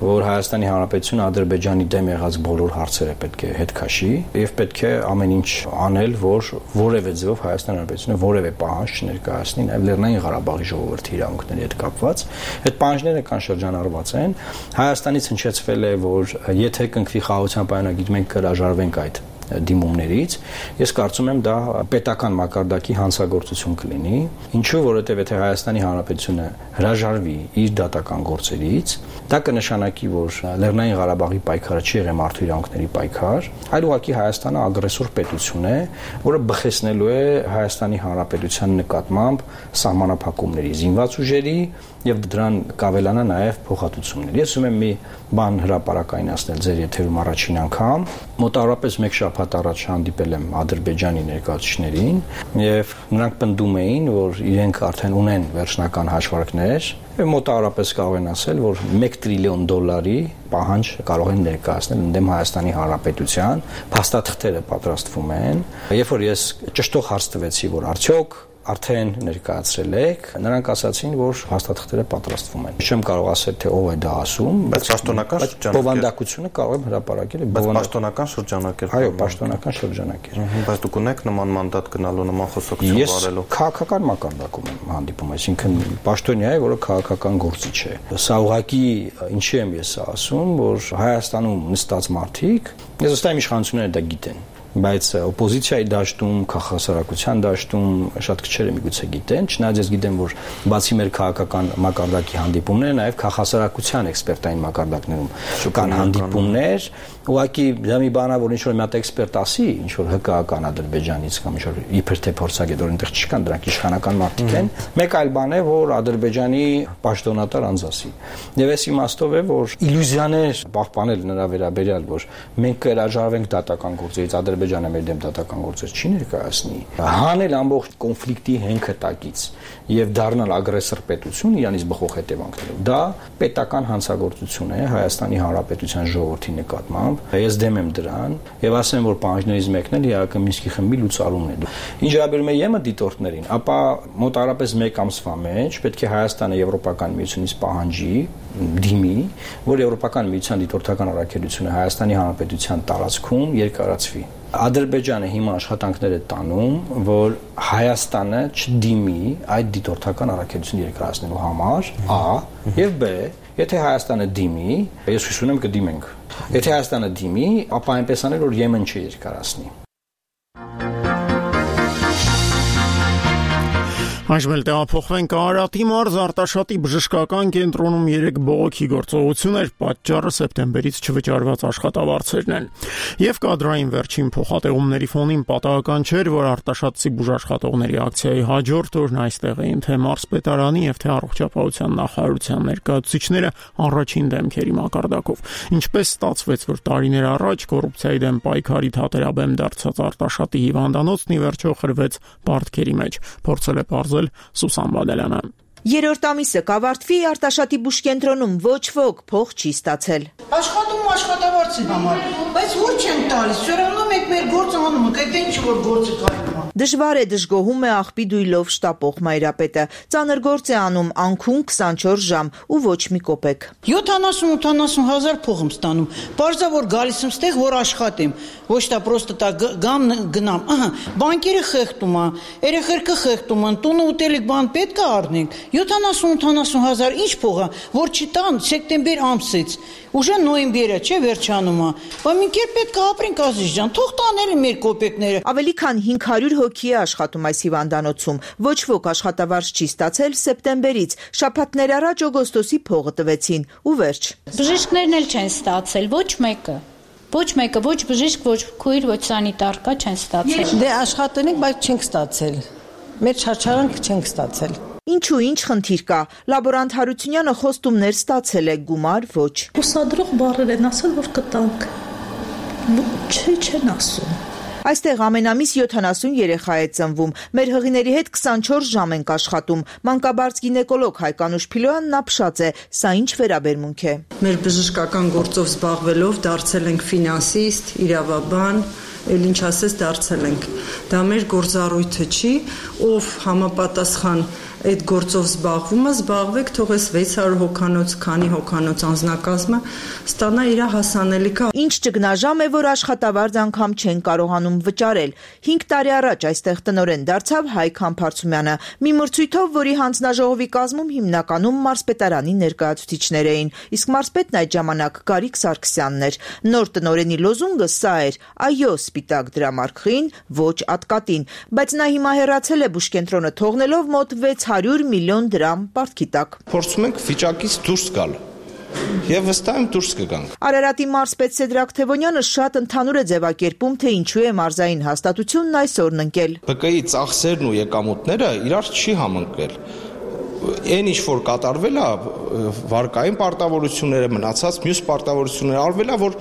որ Հայաստանի Հանրապետությունը Ադրբեջանի դեմ եղած բոլոր հարցերը պետք է հետ քաշի եւ պետք է ամեն ինչ անել, որ որևէ ձևով Հայաստանի Հանրապետությունը որևէ պահանջ չներկայացնի, նաեւ Լեռնային Ղարաբաղի ժողովրդի իրավունքների հետ կապված։ Այդ պահանջները կան շրջանառված են։ Հայաստանից հնչեցվել է, որ եթե կնքվի խաղաղության պայմանագիր, մենք կհրաժարվենք այդ դիմումներից, ես կարծում եմ դա պետական մակարդակի հանցագործություն կլինի, ինչու որովհետև եթե Հայաստանի Հանրապետությունը հրաժարվի իր դատական գործերից, դա կնշանակի, որ Լեռնային Ղարաբաղի պայքարը չի եղել մարդու իրավունքների պայքար, այլ ուղղակի Հայաստանը ագրեսոր պետություն է, որը բխեցնելու է Հայաստանի Հանրապետության նկատմամբ սահմանափակումների, զինված ուժերի եւ դրան կավելանա նաեւ փոխհատուցումներ։ Ես ուզում եմ մի բան հրապարակայնացնել ձեր եթերում առաջին անգամ։ Մոտավորապես 1 շաբաթ առաջ հանդիպել եմ Ադրբեջանի ներկայացուցիչներին եւ նրանք պնդում էին, որ իրենք արդեն ունեն վերջնական հաշվարկներ եւ մոտավորապես կարող են ասել, որ $1 տրիլիոն պահանջ կարող են ներկայացնել ընդդեմ Հայաստանի Հանրապետության, փաստաթղթերը պատրաստվում են։ Երբ որ ես ճշտող հարց տվեցի, որ արդյոք արդեն ներկայացրել եք, նրանք ասացին, որ հաստատքները պատրաստվում են։ Չեմ կարող ասել, թե ով է դա ասում, բայց պաշտոնական շրջանակ է։ Բովանդակությունը կարող եմ հրապարակել, բայց պաշտոնական շրջանակ է։ Այո, պաշտոնական շրջանակ է։ Բայց դուք ունեք նման մանդատ գնալու, նման խոսակցություն վարելու։ Ես քաղաքական մակարդակում եմ հանդիպում, այսինքն պաշտոնյա է, որը քաղաքական գործիչ է։ Սա ուղղակի ինչի եմ ես ասում, որ Հայաստանում նստած մարդիկ, ես վստահ եմ իշխանությունները դա գիտեն, բայց օպոզիցիայի դաշտում, քաղաքասարակության դաշտում շատ քչերը միգուցե գիտեն, չնայած ես գիտեմ, որ բացի մեր քաղաքական մակարդակի հանդիպումները, նաև քաղաքասարակության էքսպերտային մակարդակներում կան հանդիպումներ, ուղղակի դա մի բան է, որ ինչ-որ մի հատ էքսպերտ ասի, ինչ-որ հկական Ադրբեջանից կամ ինչ-որ իբր թե փորձագետ, որ այնտեղ չկան, դրանք իշխանական մարդիկ են, մեկ այլ բան է, որ Ադրբեջանի պաշտոնատար անձ ասի։ Եվ այս իմաստով է, որ իլյուզիաներ պահպանել նրա վերաբերյալ, որ մենք կհրաժարվենք դատական գործերից, Ադրբեջանը մեր դեմ դատական գործեր չի ներկայացնի, հանել ամբողջ կոնֆլիկտի հենքտակից եւ դառնալ ագրեսոր պետություն իրանից բխող հետևանքներով։ Դա պետական հանցագործություն է Հայաստանի Հանրապետության ժողովրդի նկատմամբ։ Ես դեմ եմ դրան եւ ասեմ, որ պահանջներից մեկն էլ իհարկե Մինսկի խմբի լուծարումն է։ Ինչ վերաբերում է ԵՄ դիտորդներին, ապա մոտավորապես 1 ամսվա մեջ պետք է Հայաստանը Եվրոպական միությունից պահանջի դիմի, որ Եվրոպական միության դիտորդական առաքելությունը Հայաստանի Հանրապետության տարածքում երկարացվի։ Ադրբեջանը հիմա աշխատանքներ է տանում, որ Հայաստանը չդիմի այդ դիտորդական առաքելությունը երկարացնելու համար, A, եւ B, եթե Հայաստանը դիմի, ես հույս ունեմ կդիմենք։ Եթե Հայաստանը դիմի, ապա այնպես անել, որ Եմեն չերկարացնի։ Այժմ էլ տեղափոխվենք Արարատի մարզ, Արտաշատի բժշկական կենտրոնում 3 բողոքի գործողություն էր, պատճառը սեպտեմբերից չվճարված աշխատավարձերն են։ Եվ կադրային վերջին փոխատեղումների ֆոնին պատահական չէր, որ Արտաշատցի բուժաշխատողների ակցիայի հաջորդ օրն այստեղ էին թե մարզպետարանի եւ թե առողջապահության նախարարության ներկայացուցիչները առաջին դեմքերի մակարդակով։ Ինչպես ստացվեց, որ տարիներ առաջ կոռուպցիայի դեմ պայքարի թատերաբեմ դարձած Արտաշատի հիվանդանոցն ի վերջո խրվեց պարտքերի մեջ, փորձել է պարզել Սուսան Բադալյանը։ Երրորդ ամիսը կավարտվի Արտաշատի բուժկենտրոնում ոչ ոք փող չի ստացել։ Աշխատում աշխատավարձի համար, բայց ոչ չեն տալիս, սրանով եք մեր գործը անում, այդ ինչ որ գործը կայանում։ Դժվար է, դժգոհում է աղբի դույլով շտապող Մայրապետը։ Ծանր գործ է անում անքուն 24 ժամ ու ոչ մի կոպեկ։ 70-80 հազար փող եմ ստանում։ Պարզա որ գալիս եմ ստեղ, որ աշխատեմ։ Ոչ դա պրոստը տա գամ գնամ։ Ահա, բանկերը խեղդում է, երեխերքը խեղդում են, տունը ուտելիք բան պետք է առնենք։ 70-80 հազար ինչ փող է, որ չտան սեպտեմբեր ամսից։ Ուժը նոյեմբերը չէ վերջանում է։ Բայց մենք երբ պետք է ապրենք Ազիզ ջան, թող տանել մեր կոպեկները։ Ավելի քան 500 հոգի է աշխատում այս հիվանդանոցում։ Ոչ ոք աշխատավարձ չի ստացել սեպտեմբերից։ Շաբաթներ առաջ օգոստոսի փողը տվեցին ու վերջ։ Բժիշկներն էլ չեն ստացել, ոչ մեկը, ոչ բժիշկ, ոչ քույր, ոչ սանիտարկա չեն ստացել։ Դե աշխատենք, բայց չենք ստացել։ Մեր չարչարանքը չենք ստացել։ Ինչու ինչ խնդիր կա։ Լաբորանտ Հարությունյանը խոստումներ ստացել է, գումար ոչ։ Ուսադրող բառեր են ասել, որ կտանք։ Չեն ասում։ Այստեղ ամենամիս 70 երեխա է ծնվում։ Մեր հղիների հետ 24 ժամ ենք աշխատում։ Մանկաբարձ գինեկոլոգ Հայկանուշ Փիլոյանն ապշած է, սա ինչ վերաբերմունք է։ Մեր բժշկական գործով զբաղվելով դարձել ենք ֆինանսիստ, իրավաբան, էլ ինչ ասես դարձել ենք։ Դա մեր գործառույթը չի, ով համապատասխան այդ գործով զբաղվեք, թող էս 600 հոգանոց, քանի հոգանոց անձնակազմը ստանա իր հասանելիքը։ Ինչ ճգնաժամ է, որ աշխատավարձ անգամ չեն կարողանում վճարել։ 5 տարի առաջ այստեղ տնօրեն դարձավ Հայկ Համբարձումյանը, մի մրցույթով, որի հանձնաժողովի կազմում հիմնականում մարզպետարանի ներկայացուցիչներ էին, իսկ մարզպետն այդ ժամանակ Գարիկ Սարգսյանն էր։ Նոր տնօրենի լոզունգը սա էր՝ այո սպիտակ դրամարկղին, ոչ ատկատին, բայց նա հիմա հեռացել է բուժկենտրոնը թողնելով մոտ 600 միլիոն դրամ պարտքի տակ։ Փորձում ենք վիճակից դուրս գալ։ Եվ վստահ եմ դուրս կգանք։ Արարատի մարզպետ Սեդրակ Թևոնյանը շատ ընդհանուր է ձևակերպում, թե ինչու է մարզային հաստատությունն այսօրն ընկել։ ԲԿ-ի ծախսերն ու եկամուտները իրար չի համընկել։ Այն ինչ որ կատարվել է, վարկային պարտավորությունները, մնացած մյուս պարտավորությունները արվել է, որ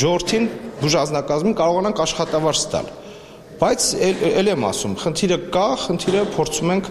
ժողովրդին բուժազնակազմին կարողանանք աշխատավարձ տալ։ Բայց ել եմ ասում, խնդիրը կա, խնդիրը փորձում ենք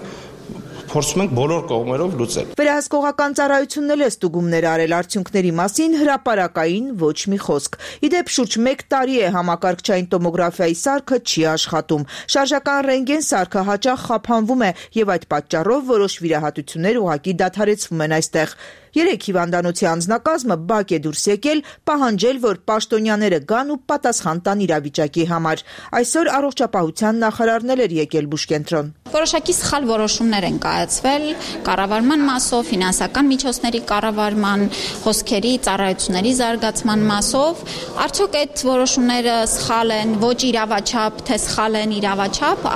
բոլոր կողմերով լուծել։ Վերահսկողական ծառայությունն էլ է ստուգումներ արել արդյունքների մասին, հրապարակային ոչ մի խոսք։ Իդեպ շուրջ 1 տարի է համակարգչային տոմոգրաֆիայի սարքը չի աշխատում։ Շարժական ռենտգեն սարքը հաճախ խափանվում է եւ այդ պատճառով որոշ վիրահատություններ ուղղակի դադարեցվում են այստեղ։ 3 հիվանդանոցի անձնակազմը բակ է դուրս եկել, պահանջել, որ պաշտոնյաները գան ու պատասխան տան իրավիճակի համար։ Այսօր առողջապահության նախարարն էր եկել բուժկենտրոն։ Որոշակի սխալ որոշումներ են կայացվել կառավարման մասով, ֆինանսական միջոցների կառավարման, խոսքերի, ծառայությունների զարգացման մասով։ Արդյոք այդ որոշումները սխալ են, ոչ իրավաչափ, թե սխալ են իրավաչափ,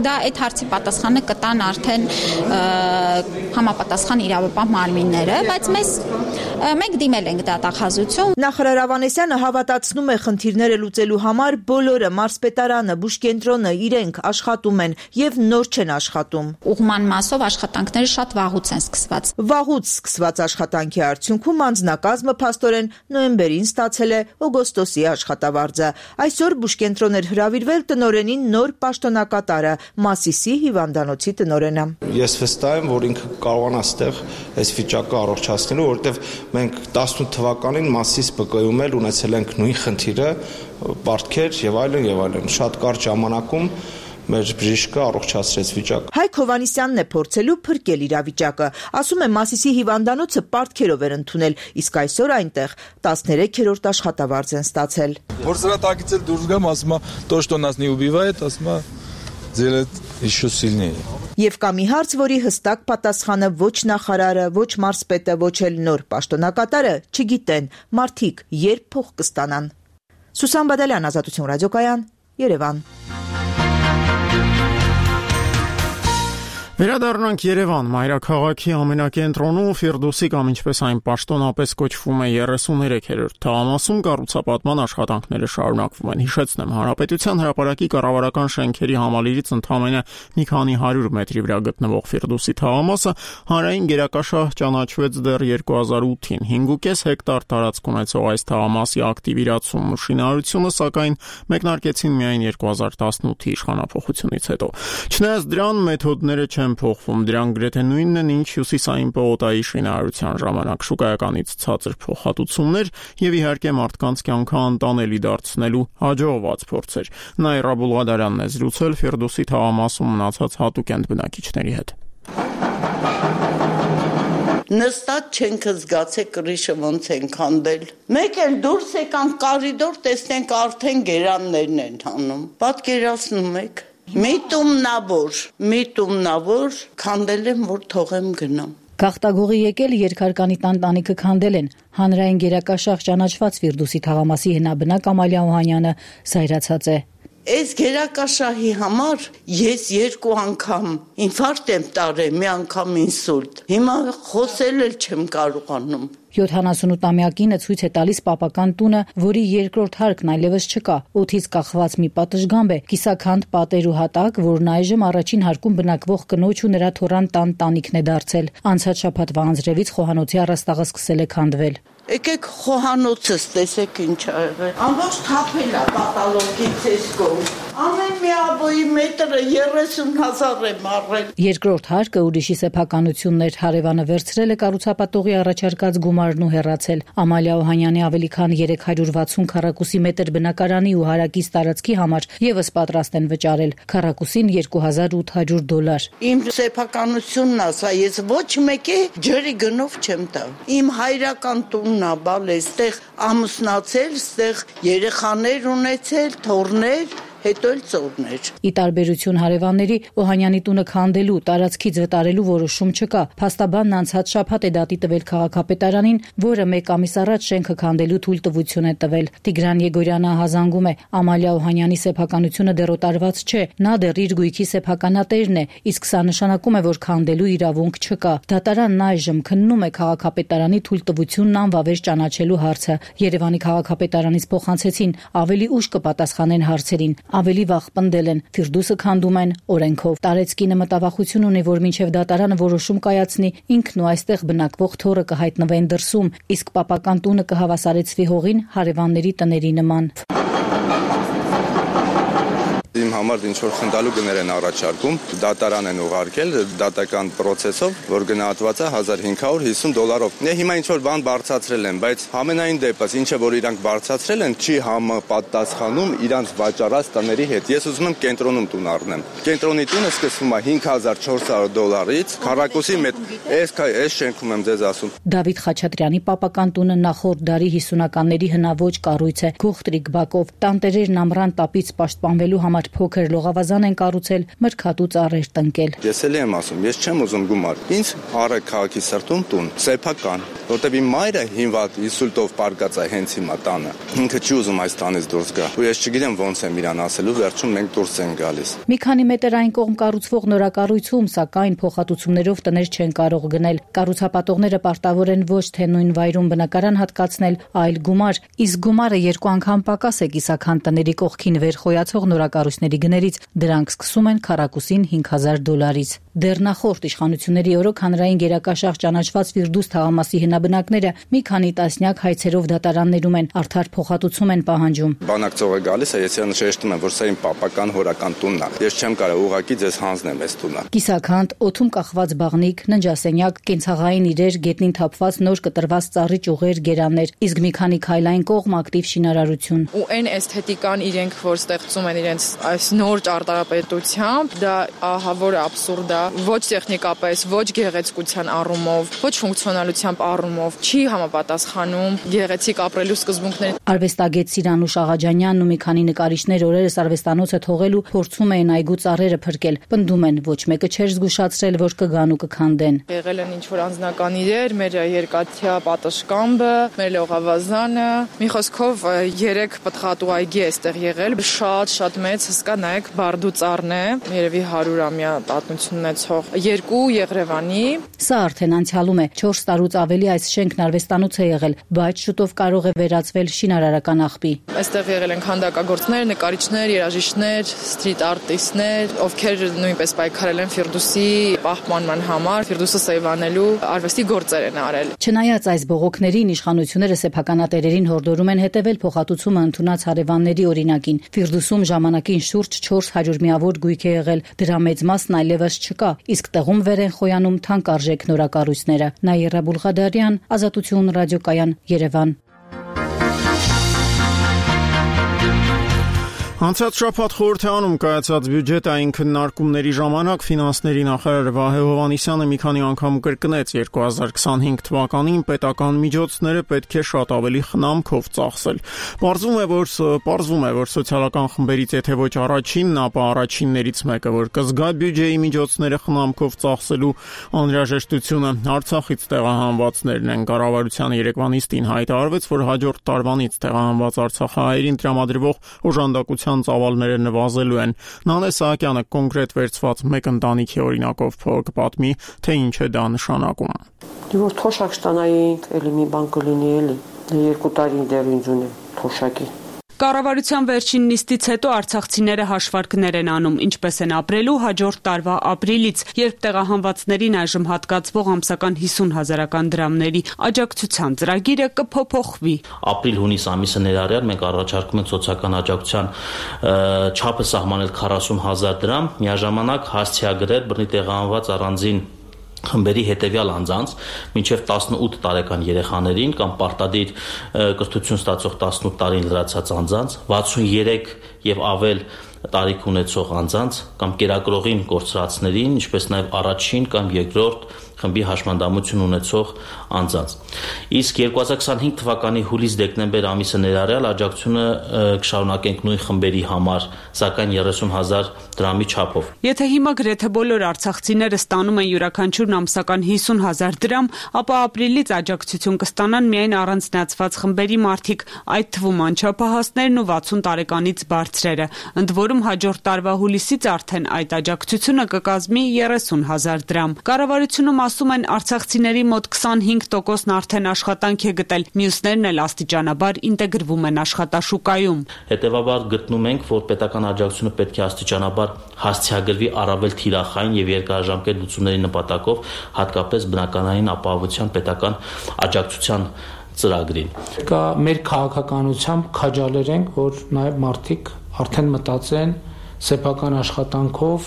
դա այդ հարցի պատասխանը կտան արդեն համապատասխան իրավապահ մարմինները, բայց մենք դիմել ենք դատախազություն։ Նախարար Ավանեսյանը հավատացնում է խնդիրները լուծելու համար բոլորը մարզպետարանը, բուժկենտրոնը իրենք աշխատում են եւ նոր չեն աշխատում։ Ուղղման մասով աշխատանքները շատ վաղուց են սկսված։ Վաղուց սկսված աշխատանքի արդյունքում անձնակազմը փաստորեն նոյեմբերին ստացել է օգոստոսի աշխատավարձը։ Այսօր բուժկենտրոն էր հրավիրվել տնօրենին նոր պաշտոնակատարը, Մասիսի հիվանդանոցի տնօրենը։ Ես վստահ եմ, որ ինքը կարողանա ստեղ այս վիճակը առողջացնելու, որովհետև մենք 18 թվականին Մասիս ԲԿ-ում էլ ունեցել ենք նույն խնդիրը, պարտքեր եւ այլն, շատ կարճ ժամանակում մեր բժիշկը առողջացրեց վիճակը։ Հայկ Հովանիսյանն է փորձելու փրկել իրավիճակը։ Ասում է Մասիսի հիվանդանոցը պարտքերով էր ընդունել, իսկ այսօր այնտեղ 13-րդ աշխատավարձ են ստացել։ Որ սրա տակից էլ դուրս գամ, ասում է, то, что нас не убивает, ասում է, делает еще сильнее։ Եվ կա մի հարց, որի հստակ պատասխանը ոչ նախարարը, ոչ մարզպետը, ոչ էլ նոր պաշտոնակատարը չգիտեն։ Մարդիկ երբ փող կստանան։ Սուսան Բադալյան, Ազատություն ռադիոկայան, Երևան։ Վերադառնանք Երևան, մայրաքաղաքի ամենակենտրոնում Ֆիրդուսի կամ ինչպես այն պաշտոնապես կոչվում է 33-րդ թաղամասում կառուցապատման աշխատանքները շարունակվում են։ Հիշեցնեմ, Հանրապետության հրապարակի կառավարական շենքերի համալիրից ընդամենը մի քանի 100 մետրի վրա գտնվող Ֆիրդուսի թաղամասը հանրային գերակաշահ ճանաչվեց դեռ 2008-ին։ 5.5 հեկտար տարածք ունեցող այս թաղամասի ակտիվ իրացումն ու շինարարությունը սակայն մեկնարկեցին միայն 2018-ի իշխանափոխությունից հետո։ Չնայած դրան մեթոդները չեն են փոխվում, դրանք գրեթե նույնն են, ինչ հյուսիսային պողոտայի շինարարության ժամանակ, շուկայականից ցածր փոխհատուցումներ եւ իհարկե մարդկանց կյանքը անտանելի դարձնելու հաջողված փորձեր։ Նաիրա Բուլղադարյանն է զրուցել Ֆիրդուսի թաղամասում մնացած հատուկենտ բնակիչների հետ։ Նստած չենք զգացել կրիշը ոնց են քանդել։ Մեկ էլ դուրս եկանք կարիդոր, տեսնենք արդեն գերաններն են հանում։ Պատկերացնում եք։ Միտումնավոր քանդել եմ, որ թողեմ գնամ։ Գաղտագողի եկել երկհարկանի տանտանիքը քանդել են։ Հանրային գերակաշաղ ճանաչված Ֆիրդուսի թաղամասի հնաբնակ Ամալիա Օհանյանը զայրացած է։ Այս գերակաշահի համար ես 2 անգամ ինֆարկտ եմ տարել, մի անգամ ինսուլտ։ Հիմա խոսել էլ չեմ կարողանում։ 78-ամյակինը ցույց է տալիս պապական տունը, որի երկրորդ հարկն այլևս չկա։ Օդից կախված մի պատշգամբ է, կիսաքանդ պատեր ու հատակ, որն այժմ առաջին հարկում բնակվող կնոջ ու նրա թոռան տանտանիքն է դարձել։ Անցած շաբաթվա անձրևից խոհանոցի առաստաղը սկսել է քանդվել։ Եկեք խոհանոցս տեսեք ինչ ա եղել։ Ամբողջ թափել է պատալոգից էսկով։ Ամեն մի աբոյի մետրը 30,000 եմ առել։ Երկրորդ հարկը ուրիշի սեփականությունն էր, հարևանը վերցրել է կառուցապատողի առաջարկած գումարն ու հեռացել։ Ամալիա Օհանյանի ավելի քան 360 քառակուսի մետր բնակարանի ու հարակից տարածքի համար եւս պատրաստ են վճարել։ Քառակուսին $2800։ Իմ սեփականությունն ասա, ես ոչ մեկի ջրի գնով չեմ տա։ Իմ հայրական տունն է, բալ էստեղ ամուսնացել, ստեղ երեխաներ ունեցել, թոռներ, հետո էլ ծորներ։ Ի տարբերություն հարևանների, Օհանյանի տունը քանդելու, տարածքից վտարելու որոշում չկա։ Փաստաբանն անցած շաբաթ է դատի տվել քաղաքապետարանին, որը 1 ամիս առաջ շենքը քանդելու թույլտվություն է տվել։ Տիգրան Եգորյանը հազանգում է, Ամալիա Օհանյանի սեփականությունը դեռ օտարված չէ, նա դեռ իր գույքի սեփականատերն է, իսկ սա նշանակում է, որ քանդելու իրավունք չկա։ Դատարանն այժմ քննում է քաղաքապետարանի թույլտվությունն անվավեր ճանաչելու հարցը։ Երևանի քաղաքապետարանից փոխանցեցին, ավելի ուշ կպատասխանեն հարցերին։ Ավելի վաղ պնդել են, Ֆիրդուսը քանդում են օրենքով։ Տարեցկինը մտավախություն ունի, որ մինչև դատարանը որոշում կայացնի, ինքն ու այստեղ բնակվող թոռը կհայտնվեն դրսում, իսկ պապական տունը կհավասարեցվի հողին հարևանների տների նման։ Իմ համար ինչ որ խնդալու գներ են առաջարկում, դատարան են ուղարկել դատական process-ով, որ գնահատված է $1550։ Դե հիմա ինչ որ բան բարձրացրել են, բայց ամենայն դեպս ինչը որ իրանք բարձրացրել են, չի համապատասխանում իրանք վաճառած տների հետ։ Ես ուզում եմ կենտրոնում տուն առնեմ։ Կենտրոնի տունը սկսվում է $5400-ից, քառակուսի այս շենքում եմ ձեզ ասում։ Դավիթ Խաչատրյանի պապական տունը նախորդ դարի 50-ականների հնաոճ կառույց է, գողտրիկ բակով, տանտերերն ամռան տապից պաշտպանվելու համար փոքր լողավազան են կառուցել, մրգատու ծառեր տնկել։ Ես էլի եմ ասում, ես չեմ ուզում գումար։ Ինձ առեք քաղաքի սրտում տուն, սեփական, որտեղ իմ մայրը հիմնված ինսուլտով պարկած է հենց հիմա տանը։ Ինքը չի ուզում այս տանից դուրս գա։ Ու ես չգիտեմ ոնց եմ իրան ասելու, վերջում մենք դուրս ենք գալիս։ Մի քանի մետր այն կողմ կառուցվող նորակառույցում, սակայն փոխհատուցումներով տներ չեն կարող գնել։ Կառուցապատողները պարտավոր են ոչ թե նույն վայրում բնակարան հատկացնել, այլ գումար, իսկ գումարը 2 անգամ պակաս է կիսաքան տների կողքին վեր խոյացող նորակառույցների գներից, դրանք սկսում են քառակուսին $5000-ից։ Դեռ նախորդ իշխանությունների օրոք հանրային գերակաշաղ ճանաչված Ֆիրդուս թաղամասի հնաբնակները մի քանի տասնյակ հայցերով դատարաններում են, արդար փոխհատուցում են պահանջում։ Բանակցողը գալիս է, ես իրան շեշտում եմ, որ սա իմ պապական հորական տունն է։ Ես չեմ կարող ուղակի ձեզ հանձնեմ այս տունը։ Կիսաքանդ, օդում կախված բաղնիկ, ննջասենյակ, կենցաղային իրեր, գետնին թափված նոր կտրված ծառի ճյուղեր, գերաններ, իսկ մի քանի քայլային կողմ ակտիվ շինարարություն։ Ու այն էսթետիկան իրենք որ ստեղծում են իրենց այս նոր ճարտարապետությամբ, դա ահա որ աբսուրդ է, ոչ տեխնիկապես, ոչ գեղեցկության առումով, ոչ ֆունկցիոնալությամբ առումով չի համապատասխանում գեղեցիկ ապրելու սկզբունքներին։ Արվեստագետ Սիրանուշ Աղաջանյանն ու մի քանի նկարիչներ օրերս արվեստանոցը թողելու փորձում էին այգու ծառերը փրկել։ Պնդում են, ոչ մեկը չէր զգուշացրել, որ կգան ու կքանդեն։ Եղել են ինչ որ անձնական իրեր, մեր երկաթյա պատշգամբը, մեր լողավազանը, մի խոսքով 3 պտղատու այգի է այստեղ եղել, շատ մեծ, հսկա նայեք, բարդու ծառն է, երևի 100-ամյա պատմություն ունեցող, 2 Եղրևանի։ Սա արդեն անցյալում է, 4 տարուց ավելի այս շենքն արվեստանոց է եղել, բայց շուտով կարող է վերածվել շինարարական աղբի։ Այստեղ եղել են քանդակագործներ, նկարիչներ, երաժիշտներ, սթրիթ արտիստներ, ովքեր նույնպես պայքարել են Ֆիրդուսի պահպանման համար, Ֆիրդուսը սեյվանելու արվեստի գործեր են արել։ Չնայած այս բողոքներին, իշխանությունները սեփականատերերին հորդորում են հետևել փոխհատուցումը ընդունած հարևանների օրինակին։ Ֆիրդուսում ժամանակին շուրջ շուրջ 400 միավոր գույք է եղել, դրա մեծ մասն այլևս չկա, իսկ տեղում վեր են խոյանում թանկարժեք նորակառույցները։ Նաիրա Բուլղադարյան, Ազատություն ռադիոկայան, Երևան։ Անցած շաբաթ խորհրդարանում կայացած բյուջետային քննարկումների ժամանակ ֆինանսների նախարար Վահե Հովհաննիսյանը մի քանի անգամ կրկնեց 2025 թվականին պետական միջոցները պետք է շատ ավելի խնամքով ծախսել։ Պարզվում է, որ սոցիալական խմբերից եթե ոչ առաջինն, ապա առաջիններից մեկը, որ կզգա բյուջեի միջոցները խնամքով ծախսելու անհրաժեշտությունը, Արցախից տեղահանվածներն են։ Կառավարության երեկվա նիստին հայտարարվեց, որ հաջորդ տարվանից տեղահանված արցախահայերին տրամադրվող օժանդակության ծավալները նվազելու են։ Նանե Սահակյանը կոնկրետ վերցված մեկ ընտանիքի օրինակով կպատմի, թե ինչ է դա նշանակում։ Որ թոշակ ստանայինք, էլի մի բան կլինի էլի, 2 տարին դեռ ինձ ունեմ թոշակի։ Կառավարության վերջին նիստից հետո արցախցիները հաշվարկներ են անում, ինչպես են ապրելու հաջորդ տարվա ապրիլից, երբ տեղահանվածներին այժմ հատկացվող ամսական 50,000 դրամների աջակցության ծրագիրը կփոփոխվի։ Ապրիլ-հունիս ամիսը ներառյալ մենք առաջարկում ենք սոցիալական աջակցության չափը սահմանել 40,000 դրամ, միաժամանակ հասցեագրել բռնի տեղահանված առանձին խմբերի հետևյալ անձանց, մինչև 18 տարեկան երեխաներին կամ պարտադիր կրթություն ստացող 18 տարին լրացած անձանց, 63 եւ ավել տարիք ունեցող անձանց կամ կերակրողին կորցրածներին, ինչպես նաև առաջին կամ երկրորդ խմբի հաշմանդամություն ունեցող անձանց։ Իսկ 2025 թվականի հուլիս-դեկտեմբեր ամիսը ներառյալ աջակցությունը կշարունակենք նույն խմբերի համար, սակայն 30,000 դրամի չափով։ Եթե հիմա գրեթե բոլոր արցախցիները ստանում են յուրաքանչյուրն ամսական 50,000 դրամ, ապա ապրիլից աջակցություն կստանան միայն առանձնացված խմբերի մարդիկ, այդ թվում անչափահասներն ու 60 տարեկանից բարձրերը։ Ընդ որում հաջորդ տարվա հուլիսից արդեն այդ աջակցությունը կկազմի 30,000 դրամ։ Կառավարությունում ասում են արցախցիների մոտ 25%-ն արդեն աշխատանք է գտել, մյուսներն էլ աստիճանաբար ինտեգրվում են աշխատաշուկայում։ Հետևաբար գտնում ենք, որ պետական աջակցությունը պետք է աստիճանաբար հասցեագրվի առավել թիրախային եւ երկարաժամկետ լուծումների նպատակով, հատկապես բնականային ապահովության պետական աջակցության ծրագրին։ Կա մեր քաղաքականությամբ քաջալերենք, որ նաեւ մարդիկ արդեն մտածեն սեփական աշխատանքով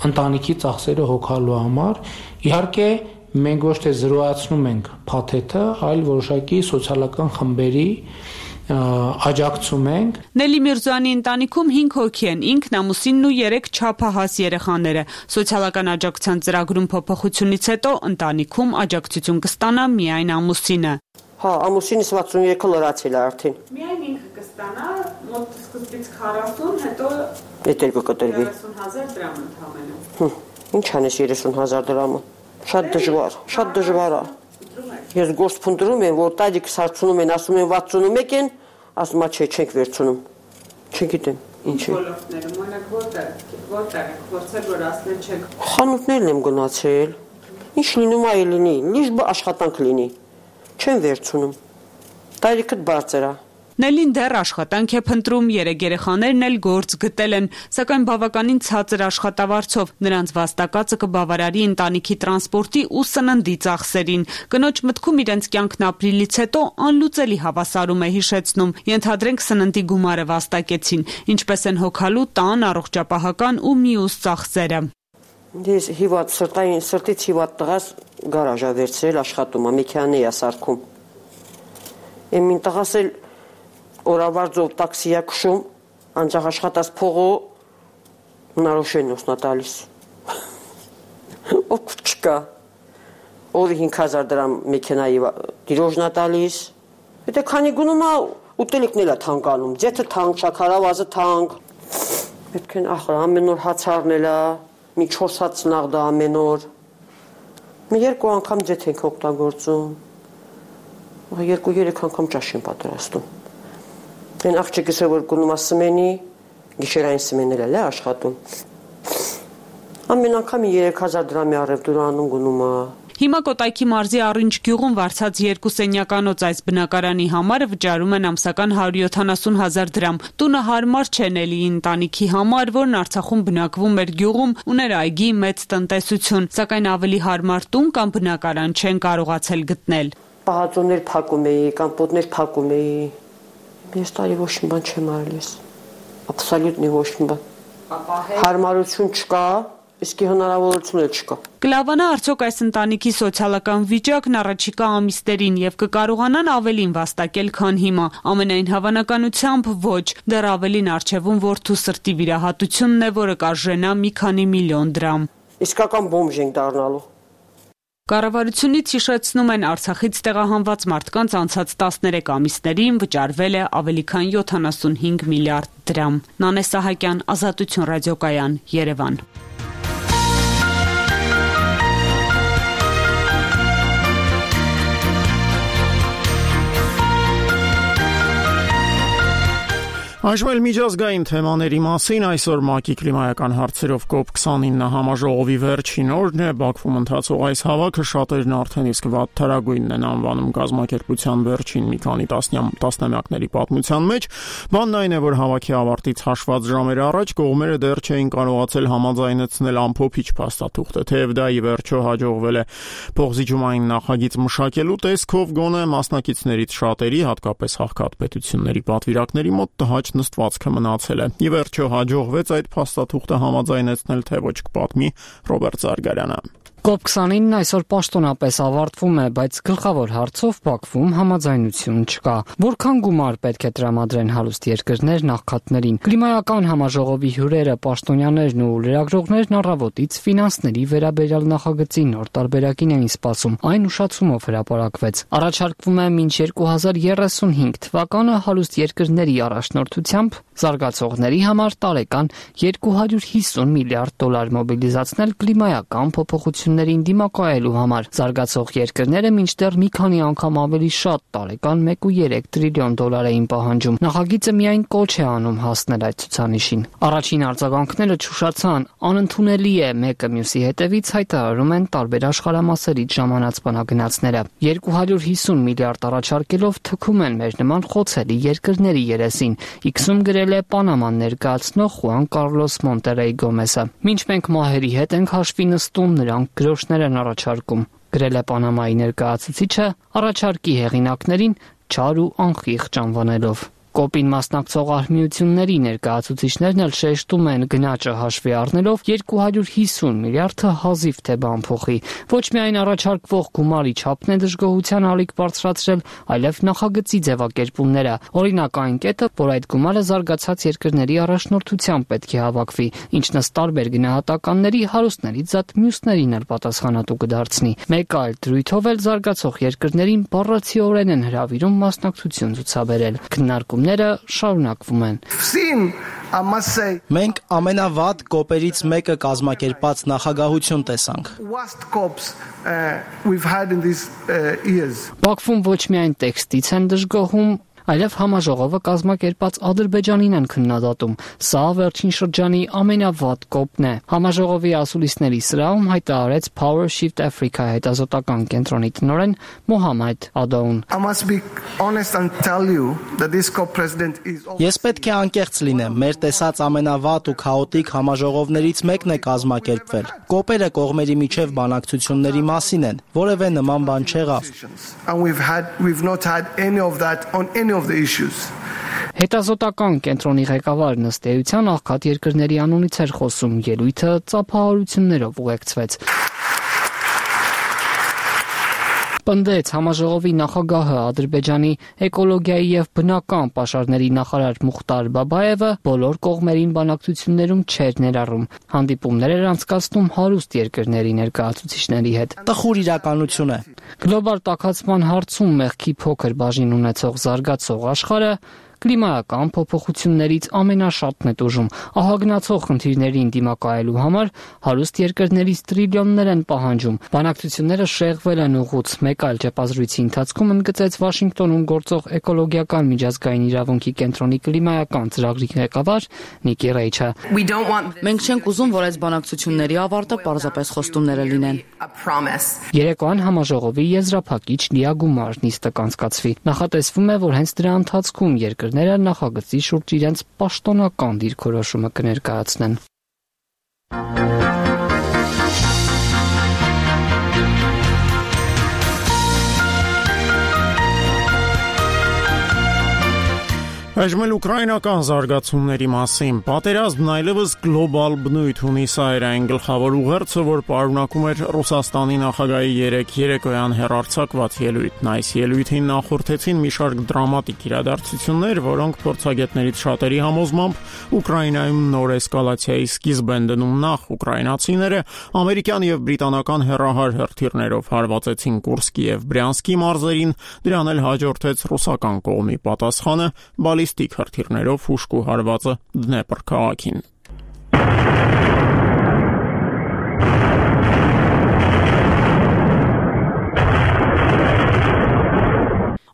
ընտանիքի ծախսերը հոգալու համար։ Իհարկե մենք ոչ թե զրոյացնում ենք փաթեթը, այլ որոշակի սոցիալական խմբերի աջակցում ենք։ Նելի Միրզոյանի ընտանիքում 5 հոգի են, ինքն, ամուսինն ու 3 չափահաս երեխաները։ Սոցիալական աջակցության ծրագրում փոփոխությունից հետո ընտանիքում աջակցություն կստանա միայն ամուսինը։ Հա, ամուսինս 63-ը լրացել է արդեն։ Միայն ինքը կստանա մոտ սկզբից 40, հետո Եթերքը կտրվի 30,000 դրամ ընդհանրապես։ Ինչ անես 30,000 դրամը։ Շատ դժվար է։ Ես գործ փնտրում եմ, որ տալիքս հարցնում են, ասում են 61 են, ասում է չէ, չենք վերցնում։ Չգիտեմ, ինչ է։ Ոլորտներում օրինակ որտեղ փորձել որ ասել չեք։ Խանութներն եմ գնացել։ Ինչ լինում է լինի, լիժ աշխատանք լինի։ Չեն վերցնում։ Տարիքը բարձր է։ Նելին դեռ աշխատանք է փնտրում, 3 երեխաներն էլ գործ գտել են, սակայն բավականին ցածր աշխատավարձով, նրանց վաստակածը կբավարարի ընտանիքի տրանսպորտի ու սննդի ծախսերին։ Կնոջ մտքում իրենց կյանքն ապրիլից հետո անլուծելի հավասարում է հիշեցնում, ենթադրենք սննդի գումարը վաստակեցին, ինչպես են հոգալու տան, առողջապահական ու մյուս ծախսերը։ Ես սրտից հիվատ տղաս գարաժ է վերցրել, աշխատում է, մեքենա է սարքում։ Եմին տղաս էլ օրավարձով տաքսի է քշում, անջախ աշխատած փողը հնարոշենոսն է տալիս։ Օգուտ չկա։ Օրը 5,000 դրամ մեքենայի դիրոժն է տալիս։ Եթե քանի գնում է, ուտելիքն էլ է թանկանում, ձեթը թանկ, շաքարավազը թանկ։ Պետք է ամեն օր հաց առնել է, մի 4 հաց նաղդա ամեն օր։ Մի 2 անգամ ձեթ ենք օգտագործում։ 2-3 անգամ ճաշ եմ պատրաստում։ Այն աղջիկս որ գնում է սմենի, գիշերային սմենն էլ է աշխատում։ Ամեն անգամ 3,000 դրամի առևտուրանում գնում է։ Հիմա Կոտայքի մարզի Առինջ գյուղում վարձած 2 սենյականոց այս բնակարանի համարը վճարում են ամսական 170,000 դրամ։ Տունը հարմար չէ Նելիի ընտանիքի համար, որն Արցախում բնակվում էր գյուղում, ուներ այգի, մեծ տնտեսություն, սակայն ավելի հարմար տուն կամ բնակարան չեն կարողացել գտնել։ Պահածոներ փակում էի, կամպոտներ փակում էի։ Ես տարի ոչ մի բան չեմ արել ես։ Абսոլյուտնի ոչ մի բան։ Հարմարություն չկա, իսկ հնարավորություն էլ չկա։ Կլավանա արդյոք այս ընտանիքի սոցիալական վիճակն առաջիկա ամիսներին եւ կկարողանան ավելին վաստակել, քան հիմա։ Ամենայն հավանականությամբ ոչ, դեռ ավելին արժևում որդու սրտի վիրահատությունն է, որը կարժենա մի քանի միլիոն դրամ։ Իսկական բոմժ ենք դառնալու։ Կառավարությունից հիշեցնում են Արցախից տեղահանված մարդկանց անցած 13 ամիսներին վճարվել է ավելի քան 75 միլիարդ դրամ։ Նանե Սահակյան, Ազատություն ռադիոկայան, Երևան։ Այժմ միջազգային թեմաների մասին այսօր ՄԱԿ-ի կլիմայական հարցերով COP29 համաժողովի վերջին օրն է, Բաքվում ընթացող այս հավաքը շատերն արդեն իսկ վատթարագույնն են անվանում կազմակերպության վերջին մի քանի տասնամյակների պատմության մեջ։ Բանն այն է, որ հավաքի ավարտից հաշված ժամեր առաջ կողմերը դեռ չէին կարողացել համաձայնեցնել ամփոփիչ փաստաթուղթը, թեև դա ի վերջո հաջողվել է փոխզիջումային նախագիծ մշակելու տեսքով գոնե մասնակիցներից շատերի, հատկապես հաղթած պետությունների պատվիրակների մոտ տհաճ նստվածքը մնացել է։ Ի վերջո հաջողվեց այդ փաստաթուղթը համաձայնեցնել, թե ոչ կպատմի Ռոբերտ Զարգարյանը։ COP29-ն այսօր պաշտոնապես ավարտվում է, բայց գլխավոր հարցով Բաքվում համաձայնություն չկա։ Որքան գումար պետք է տրամադրեն հարուստ երկրներն աղքատներին։ Կլիմայական համաժողովի հյուրերը, պաշտոնյաներն ու լրագրողներն առավոտից ֆինանսների վերաբերյալ նախագծի նոր տարբերակին էին սպասում։ Այն ուշացումով հրապարակվեց։ Առաջարկվում է մինչ 2035 թվականը հարուստ երկրների առաջնորդությամբ զարգացողների համար տարեկան 250 միլիարդ դոլար մոբիլիզացնել կլիմայական փոփոխություններին դիմակայելու համար։ Զարգացող երկրները մինչդեռ մի քանի անգամ ավելի շատ տարեկան 1.3 տրիլիոն դոլար էին պահանջում։ Նախագիծը միայն կոչ է անում հասնել այդ ցուցանիշին։ Առաջին արձագանքները չուշացան, անընդունելի է, մեկը մյուսի հետևից հայտարարում են տարբեր աշխարհամասերից ժամանած բանագնացները։ 250 միլիարդ առաջարկելով թքում են մեր նման խոցելի երկրների երեսին։ X-ում գրել է Պանաման ներկայացնող Խուան Կարլոս Մոնտերեյ Գոմեսը։ Մինչ մենք մահերի հետ ենք հաշվի նստում, նրանք գրոշներ են առաջարկում, գրել է Պանամայի ներկայացուցիչը առաջարկի հեղինակներին չար ու անխիղճ անվանելով։ COP-ին մասնակցող արհմիությունների ներկայացուցիչներն էլ շեշտում են գնաճը հաշվի առնելով 250 միլիարդը հազիվ թե բան փոխի։ Ոչ միայն առաջարկվող գումարի չափն է դժգոհության ալիք բարձրացրել, այլև նախագծի ձևակերպումները։ Օրինակ այն կետը, որ այդ գումարը զարգացած երկրների առաջնորդությամբ պետք է հավաքվի, ինչն ըստ տարբեր գնահատականների հարուստներից զատ մյուսներին էլ պատասխանատու կդարձնի։ Մեկ այլ դրույթով էլ զարգացող երկրներին բառացիորեն են հրավիրում մասնակցություն ցուցաբերել։ Քննարկումները շարունակվում են։ Մենք ամենավատ կոպերից մեկը կազմակերպած նախագահություն տեսանք։ Բաքվում ոչ միայն տեքստից են դժգոհում, այլև համաժողովը կազմակերպած Ադրբեջանին են քննադատում։ Սա վերջին շրջանի ամենավատ կոպն է։ Համաժողովի ասուլիսների սրահում հայտարարեց Power Shift Africa հետազոտական կենտրոնի տնօրեն Մոհամեդ Ադոուն։ Ես պետք է անկեղծ լինեմ, մեր տեսած ամենավատ ու քաոտիկ համաժողովներից մեկն է կազմակերպվել։ Կոպերը կողմերի միջև բանակցությունների մասին են, որևէ նման բան չեղավ։ Հետազոտական կենտրոնի ղեկավարն ըստ էության աղքատ երկրների անունից էր խոսում, ելույթը ծափահարություններով ուղեկցվեց։ Պնդեց համաժողովի նախագահը Ադրբեջանի էկոլոգիայի եւ բնական պաշարների նախարար Մուխտար Բաբաևը բոլոր կողմերին բանակցություններում չէր ներառում։ Հանդիպումներ էր անցկացնում հարուստ երկրների ներկայացուցիչների հետ։ Տխուր իրականություն է։ Գլոբալ տաքացման հարցում մեղքի փոքր բաժին ունեցող զարգացող աշխարհը կլիմայական փոփոխություններից ամենաշատն է տուժում։ Ահագնացող խնդիրներին դիմակայելու համար հարուստ երկրներից տրիլիոններ են պահանջում։ Բանակցությունները շեղվել են ուղուց։ Մեկ այլ ճեպազրույցի ընթացքում ընդգծեց Վաշինգտոնում գործող էկոլոգիական միջազգային իրավունքի կենտրոնի կլիմայական ծրագրի ղեկավար Նիկի Ռեյչը։ Մենք չենք ուզում, որ այս բանակցությունների ավարտը պարզապես խոստումներ լինեն։ Երեկոյան համաժողովի եզրափակիչ լիագումար նիստը կանցկացվի։ Նախատեսվում է, որ հենց դրա ընթացքում երկրները նախագծի շուրջ իրենց պաշտոնական դիրքորոշումը կներկայացնեն։ Այժմ ուկրաինական զարգացումների մասին պատերազմն այլևս գլոբալ բնույթ ունի, սա էր այն գլխավոր ուղերձը, որ պարունակում էր Ռուսաստանի նախագահի երեկոյան հեռարձակված ելույթն։ Այս ելույթին նախորդեցին մի շարք դրամատիկ իրադարձություններ, որոնք փորձագետներից շատերի համոզմամբ Ուկրաինայում նոր էսկալացիայի սկիզբ են դնում։ Նախ ուկրաինացիները ամերիկյան եւ բրիտանական հեռահար հրթիռներով հարվածեցին Կուրսկի եւ Բրյանսկի մարզերին, դրան էլ հաջորդեց ռուսական կողմի պատասխանը բալիստիկ հրթիռներով հուշկու հարվածը Դնեպր քաղաքին։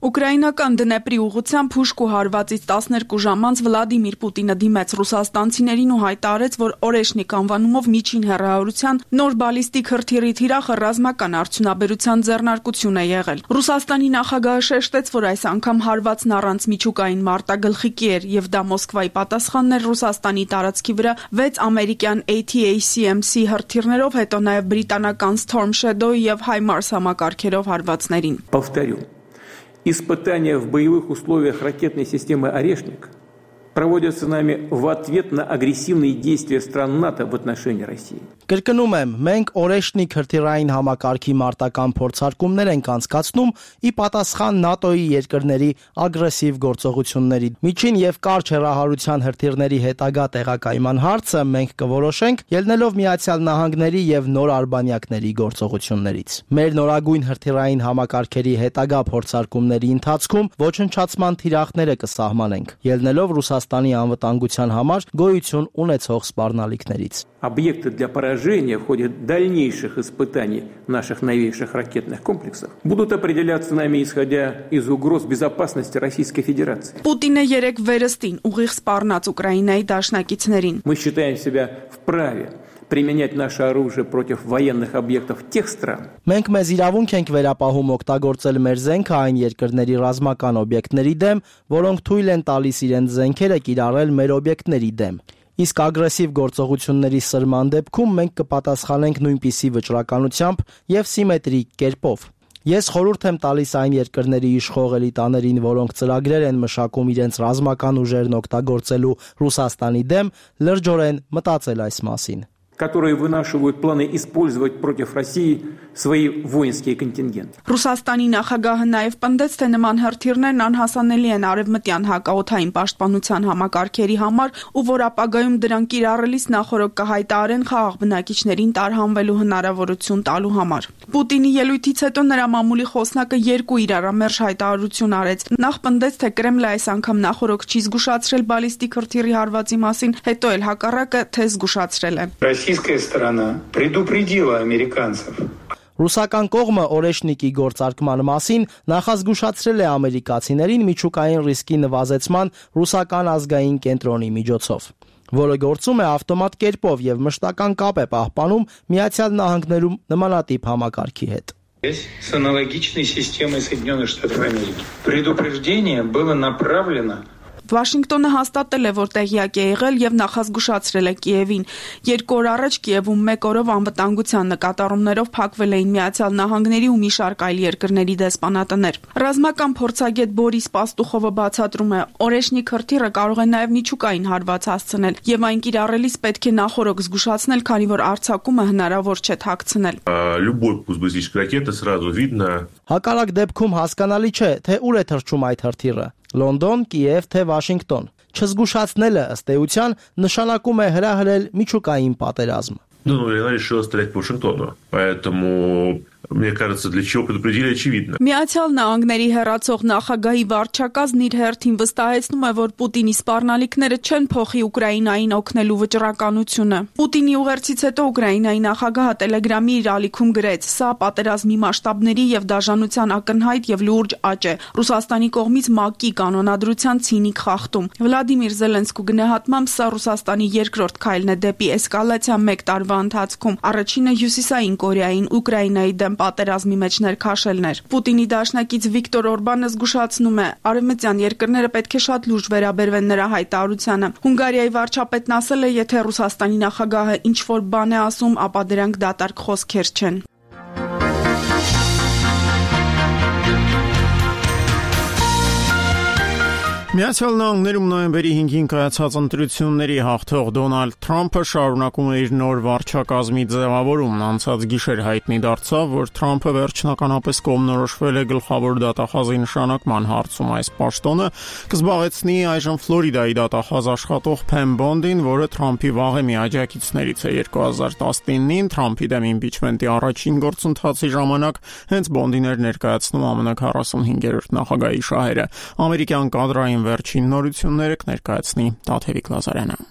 Ուկրաինական Դնեպրի ուղղությամբ հուշկու հարվածից 12 ժամ անց Վլադիմիր Պուտինը դիմեց ռուսաստանցիներին ու հայտարարեց, որ Օրեշնիկ անվանումով միջին հեռահարության նոր բալիստիկ հրթիռի թիրախը ռազմական արդյունաբերության ձեռնարկություն է եղել։ Ռուսաստանի նախագահը շեշտեց, որ այս անգամ հարվածն առանց միջուկային մարտագլխիկի էր եւ դա Մոսկվայի պատասխանն էր Ռուսաստանի տարածքի վրա 6 ամերիկյան ATACMC հրթիռներով, հետո նաեւ բրիտանական Storm Shadow եւ HIMARS համակարգերով հարվածներին։ Испытания в боевых условиях ракетной системы «Орешник» проводятся нами в ответ на агрессивные действия стран НАТО в отношении России. Կրկնում եմ, մենք Օրեշնիկ հրթիռային համակարգի մարտական փորձարկումներ ենք անցկացնում ի պատասխան ՆԱՏՕ-ի երկրների ագրեսիվ գործողությունների։ Միջին եւ կարճ հեռահարության հրթիռների հետագա տեղակայման հարցը մենք կորոշենք ելնելով Միացյալ Նահանգների եւ նոր արբանյակների գործողություններից։ Մեր նորագույն հրթիռային համակարգերի հետագա փորձարկումների ընթացքում ոչնչացման թիրախները կսահմանենք, ելնելով Ռուսաստանի անվտանգության համար գոյություն ունեցող սպառնալիքներից։ Объекты для поражения в ходе дальнейших испытаний наших новейших ракетных комплексов будут определяться нами, исходя из угроз безопасности Российской Федерации. Պուտինը երեք վերստին ուղիղ սպառնաց Ուկրաինայի դաշնակիցներին։ Мы считаем себя вправе применять наше оружие против военных объектов тех стран. Մենք մեզ իրավունք ենք վերապահում օգտագործել մեր զենքը այն երկրների ռազմական օբյեկտների դեմ, որոնք թույլ են տալիս իրենց զենքերը կիրառել մեր օբյեկտների դեմ։ Իսկ ագրեսիվ գործողությունների սրման դեպքում մենք կպատասխանենք նույնպիսի վճռականությամբ եւ սիմետրիկ կերպով։ Ես խորհուրդ եմ տալիս այն երկրների իշխող էլիտաներին, որոնք ծրագրեր են մշակում իրենց ռազմական ուժերն օգտագործելու Ռուսաստանի դեմ, լրջորեն մտածել այս մասին։ Которые вынашивают планы использовать против России свои воинские контингенты. Ռուսաստանի նախագահը նաև պնդեց, թե նման հրթիռներն անհասանելի են արևմտյան հակաօդային պաշտպանության համակարգերի համար ու որ ապագայում դրանք կիրառելիս նախորդ կհայտարարեն խաղաղ բնակիչներին տարհանվելու հնարավորություն տալու համար։ Պուտինի ելույթից հետո նրա մամուլի խոսնակը երկու իրարամերժ հայտարարություն արեց։ Նախ պնդեց, թե Կրեմլը այս անգամ նախորդ չի զգուշացրել բալիստիկ հրթիռի հարվածի մասին, հետո էլ հակառակը, թե զգուշացրել է։ Российская сторона предупредила американцев. Ռուսական կողմը Օրեշնիկի գործարկման մասին նախազգուշացրել է ամերիկացիներին միջուկային ռիսկի նվազեցման ռուսական ազգային կենտրոնի միջոցով, որը գործում է ավտոմատ կերպով եւ մշտական կապ է պահպանում Միացյալ Նահանգներում նմանատիպ համակարգի հետ։ С аналогичной системой Соединенных Штатов Америки. Предупреждение было направлено Վաշինգտոնը հաստատել է, որ տեղյակ է եղել եւ նախազգուշացրել է Կիևին։ 2 օր առաջ Կիևում 1 օրով անվտանգության նկատառումներով փակվել էին Միացյալ Նահանգների ու մի շարք այլ երկրների դեսպանատներ։ Ռազմական փորձագետ Բորիս Պաստուխովը բացատրում է, Օրեշնիկ հրթիռը կարող է նաեւ միջուկային հարված հասցնել եւ այն կիրառելիս պետք է նախորդ զգուշացնել, քանի որ արձակումը հնարավոր չէ թաքցնել։ Любой пуск баллистической ракеты сразу видно. Հակառակ դեպքում հասկանալի չէ, թե ուր է թռչում այդ հրթիռը։ Լոնդոն, Կիև, թե Վաշինգտոն։ Չզգուշացնելը ըստ էության նշանակում է հրահրել միջուկային պատերազմ։ Ну, я решил стрелять по Вашингтону, поэтому мне кажется, для чего предупредили, очевидно. Միացյալ Նահանգների հեռացող նախագահի վարչակազմն իր հերթին վստահեցնում է, որ Պուտինի սպառնալիքները չեն փոխի Ուկրաինային օգնելու վճռականությունը։ Պուտինի ուղերձից հետո Ուկրաինայի նախագահը Տելեգրամի իր ալիքում գրեց. «Սա պատերազմի մասշտաբների եւ դաժանության ակնհայտ եւ լուրջ աճ է։ Ռուսաստանի կողմից ՄԱԿ-ի կանոնադրության ցինիկ խախտում»։ Վլադիմիր Զելենսկու գնահատմամբ սա Ռուսաստանի երկրորդ քայլն է դեպի էսկալացիա 1 տարվա ընթացքում։ Առաջինը Հյուսիսային Կորեային Ուկրաինայի դեմ պատերազմի մեջ ներքաշելն էր։ Պուտինի դաշնակից Վիկտոր Օրբանը զգուշացնում է, արևմտյան երկրները պետք է շատ լուրջ վերաբերվեն նրա հայտարարությանը։ Հունգարիայի վարչապետն ասել է, եթե Ռուսաստանի նախագահը ինչ-որ բան է ասում, ապա դրանք դատարկ խոսքեր չեն։ Միացյալ Նահանգներում նոյեմբերի 5-ին կայացած ընտրությունների հաղթող Դոնալդ Թրամփը շարունակում է իր նոր վարչակազմի ձևավորումն։ Անցած գիշեր հայտնի դարձավ, որ Թրամփը վերջնականապես կողմնորոշվել է գլխավոր դատախազի նշանակման հարցում։ Այս պաշտոնը կզբաղեցնի այժմ Ֆլորիդայի դատախազ աշխատող Փեմ Բոնդին, որը Թրամփի վաղեմի աջակիցներից է։ 2019-ին Թրամփի դեմ իմպիչմենտի առաջին գործընթացի ժամանակ հենց Բոնդին էր ներկայացնում ԱՄՆ 45-րդ նախագահի շահերը։ Ամերիկյան կադրային վերջին նորությունները կներկայացնի Տաթևիկ Լազարյանը։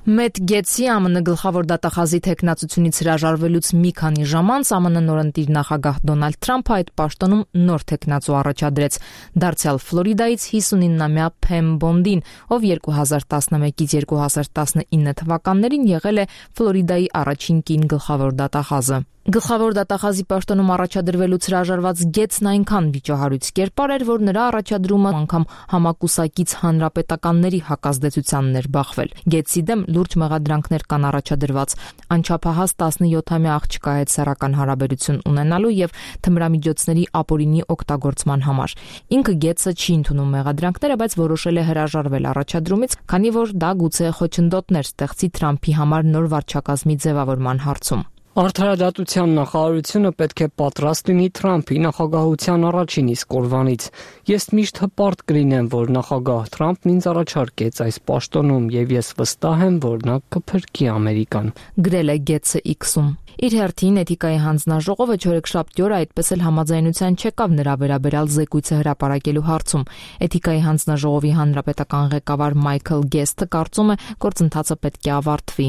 Մեթ Գետսի ԱՄՆ գլխավոր դատախազի թեկնածությունից հրաժարվելուց մի քանի ժամ անց ԱՄՆ նորընտիր նախագահ Դոնալդ Թրամփը այդ պաշտոնում նոր թեկնածու առաջադրեց, դարձյալ Ֆլորիդայից 59-ամյա Փեմ Բոնդին, ով 2011-ից 2019 թվականներին եղել է Ֆլորիդայի առաջին կին գլխավոր դատախազը։ Գլխավոր դատախազի պաշտոնում առաջադրվելուց հրաժարված Գետսն այնքան վիճահարույց կերպար էր, որ նրա առաջադրումը անգամ համակուսակից հանրապետականների հակազդեցությանն էր բախվել։ Գետսի դեմ լուրջ մեղադրանքներ կան առաջադրված, անչափահաս 17-ամյա աղջկա հետ սեռական հարաբերություն ունենալու եւ թմրամիջոցների ապօրինի օգտագործման համար։ Ինքը Գետսը չի ընդունում մեղադրանքները, բայց որոշել է հրաժարվել առաջադրումից, քանի որ դա գուցե խոչընդոտներ ստեղծի Թրամփի համար նոր վարչակազմի ձևավորման հարցում։ Արդարադատության նախարարությունը պետք է պատրաստ լինի Թրամփի նախագահության առաջին իսկ օրվանից։ Ես միշտ հպարտ կլինեմ, որ նախագահ Թրամփն ինձ առաջարկեց այս պաշտոնում եւ ես վստահ եմ, որ նա կփրկի Ամերիկան, գրել է Գետսը X-ում։ Իր հերթին Էթիկայի հանձնաժողովը չորեքշաբթի օրը այդպես էլ համաձայնության չեկավ նրա վերաբերյալ զեկույցը հրապարակելու հարցում։ Էթիկայի հանձնաժողովի հանրապետական ղեկավար Մայքլ Գեսթը կարծում է, գործընթացը պետք է ավարտվի։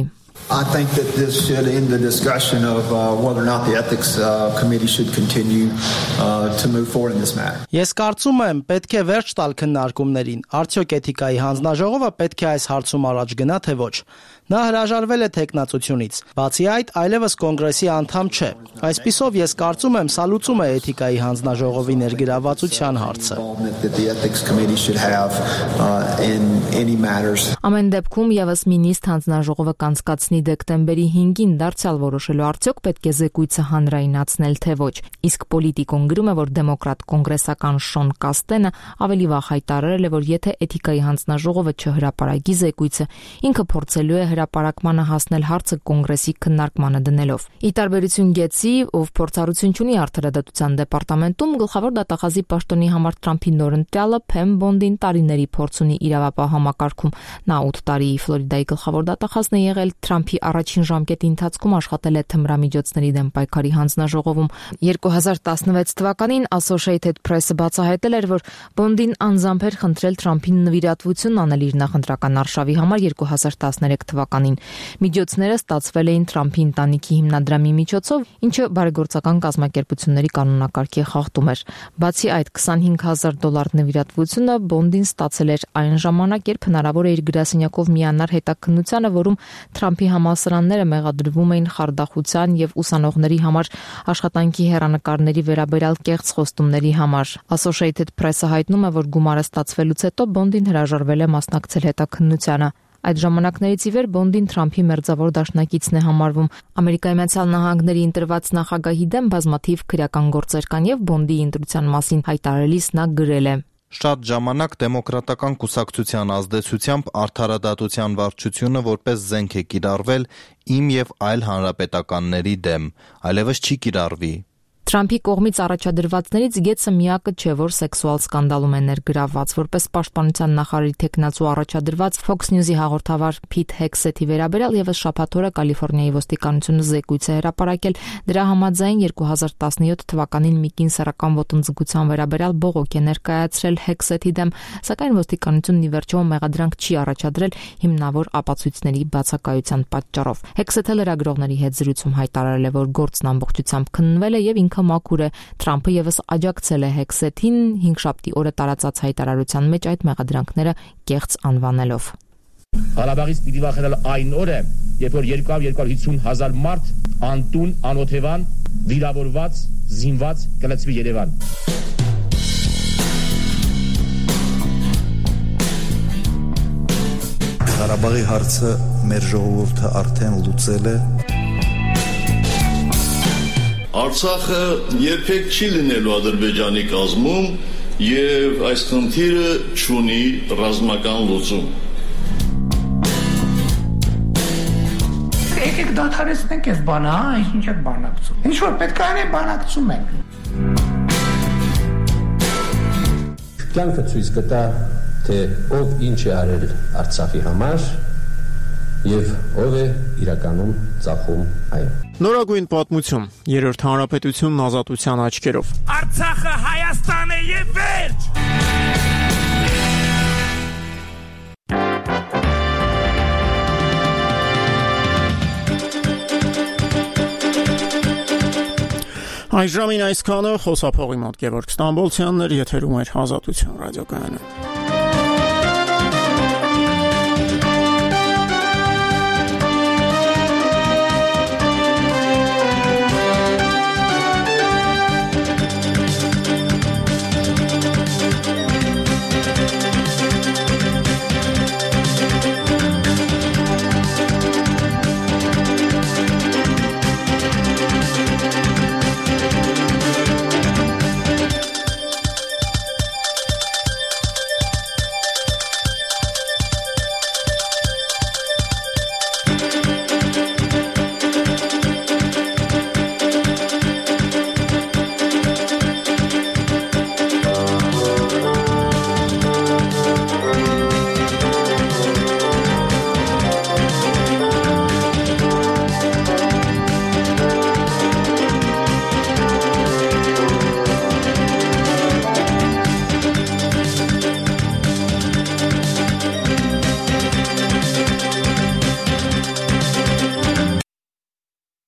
I think that this should end the discussion of whether or not the ethics committee should continue to move forward in this matter. Ես կարծում եմ, պետք է վերջ տալ քննարկումներին։ Արդյոք Էթիկայի հանձնաժողովը պետք է այս հարցում առաջ գնա, թե ոչ։ Նա հրաժարվել է թեկնածությունից։ Բացի այդ, այլևս կոնգրեսի անդամ չէ։ Այսպիսով ես կարծում եմ, սա լուծում է Էթիկայի հանձնաժողովի ներգրավվածության հարցը։ Ամեն դեպքում եւս մինիստ հանձնաժողովը կանցկացնի դեկտեմբերի 5-ին դարձյալ որոշելու արդյոք պետք է զեկույցը հանրայնացնել, թե ոչ։ Իսկ Պոլիտիկոն գրում է, որ դեմոկրատ կոնգրեսական Շոն Կաստենը ավելի վաղ հայտարարել է, որ եթե Էթիկայի հանձնաժողովը չհրապարակի զեկույցը, ինքը փորձելու է հրապարակմանը հասնել հարցը կոնգրեսի քննարկմանը դնելով։ Ի տարբերություն Գետսի, ով փորձառություն ունի արդարադատության դեպարտամենտում, գլխավոր դատախազի պաշտոնի համար Թրամփի նորընտյալը Փեմ Բոնդին տարիների փորձ ունի իրավապահ համակարգում։ Նա 8 տարի Ֆլորիդայի գլխավոր դատախազն է եղել, Թրամփի առաջին ժամկետի ընթացքում աշխատել է թմրամիջոցների դեմ պայքարի հանձնաժողովում։ 2016 թվականին Associated Press-ը բացահայտել էր, որ Բոնդին անձամբ էր խնդրել Թրամփին նվիրատվություն անել իր նախընտրական արշավի համար 2013 թվականին։ Միջոցները ստացվել էին Թրամփի ընտանիքի հիմնադրամի միջոցով, ինչը բարեգործական կազմակերպությունների կանոնակարգի խախտում էր։ Բացի այդ, $25,000 նվիրատվությունը Բոնդին ստացել էր այն ժամանակ, երբ հնարավոր է իր գրասենյակով միանար հետաքննությանը, որում Թրամփի համալսարանները մեղադրվում էին խարդախության եւ ուսանողների համար աշխատանքի հեռանկարների վերաբերյալ կեղծ խոստումների համար։ Associated Press-ը հայտնում է, որ գումարը ստացվելուց հետո Բոնդին հրաժարվել է մասնակցել հետաքննությանը։ Այդ ժամանակներից ի վեր Բոնդին Թրամփի մերձավոր դաշնակիցն է համարվում։ Ամերիկայի Միացյալ Նահանգների ընտրված նախագահի դեմ բազմաթիվ քրեական գործեր կան եւ Բոնդի ընտրության մասին հայտարարելիս նա գրել է. Շատ ժամանակ դեմոկրատական կուսակցության ազդեցությամբ արդարադատության վարչությունը որպես զենք է կիրառվել իմ եւ այլ հանրապետականների դեմ, այլևս չի կիրառվի։ Թրամփի կողմից առաջադրվածներից Գետսը միակը չէ, որ սեքսուալ սկանդալում է ներգրավված, որպես պաշտպանության նախարարի թեկնածու առաջադրված Fox News-ի հաղորդավար Փիթ Հեքսեթի վերաբերյալ եւս շաբաթ օրը Կալիֆոռնիայի ոստիկանությունը զեկույց է հրապարակել։ Դրա համաձայն 2017 թվականին մի կին սեռական ոտնձգության վերաբերյալ բողոք է ներկայացրել Հեքսեթի դեմ, սակայն ոստիկանությունն ի վերջո մեղադրանք չի առաջադրել հիմնավոր ապացույցների բացակայության պատճառով։ Հեքսեթը լրագրողների հետ զրույցում հայտարարել է, որ գործն ամբողջությամբ քննվել է եւ ինքը մաքուր է։ Թրամփը եւս աջակցել է Հեքսեթին 5-շաբթի օրը տարածած հայտարարության մեջ այդ մեղադրանքները կեղծ անվանելով։ Ղարաբաղից պիտի վախենալ այն օրը, երբ որ 250,000 մարդ անտուն, անօթևան, վիրավորված, զինված կլցվի Երևան։ Ղարաբաղի հարցը մեր ժողովուրդը արդեն լուծել է։ Արցախը երբեք չի լինելու Ադրբեջանի կազմում, եւ այս խնդիրը չունի ռազմական լուծում։ Եկեք դադարեցնենք այս բանը, ինչ եք բանակցում։ Ինչ որ պետք է անենք, բանակցում ենք։ Կյանքը ցույց կտա, թե ով ինչ է արել Արցախի համար եւ ով է իրականում ծախում այն։ Նորագույն պատմություն, Երրորդ հանրապետությունն ազատության աչքերով։ Արցախը Հայաստան է եւ վերջ։ Այժմին այսքանը, խոսափողի մոտ Գևորգ Ստամբոլցյանն էր, եթերում էր Ազատություն ռադիոկայանը։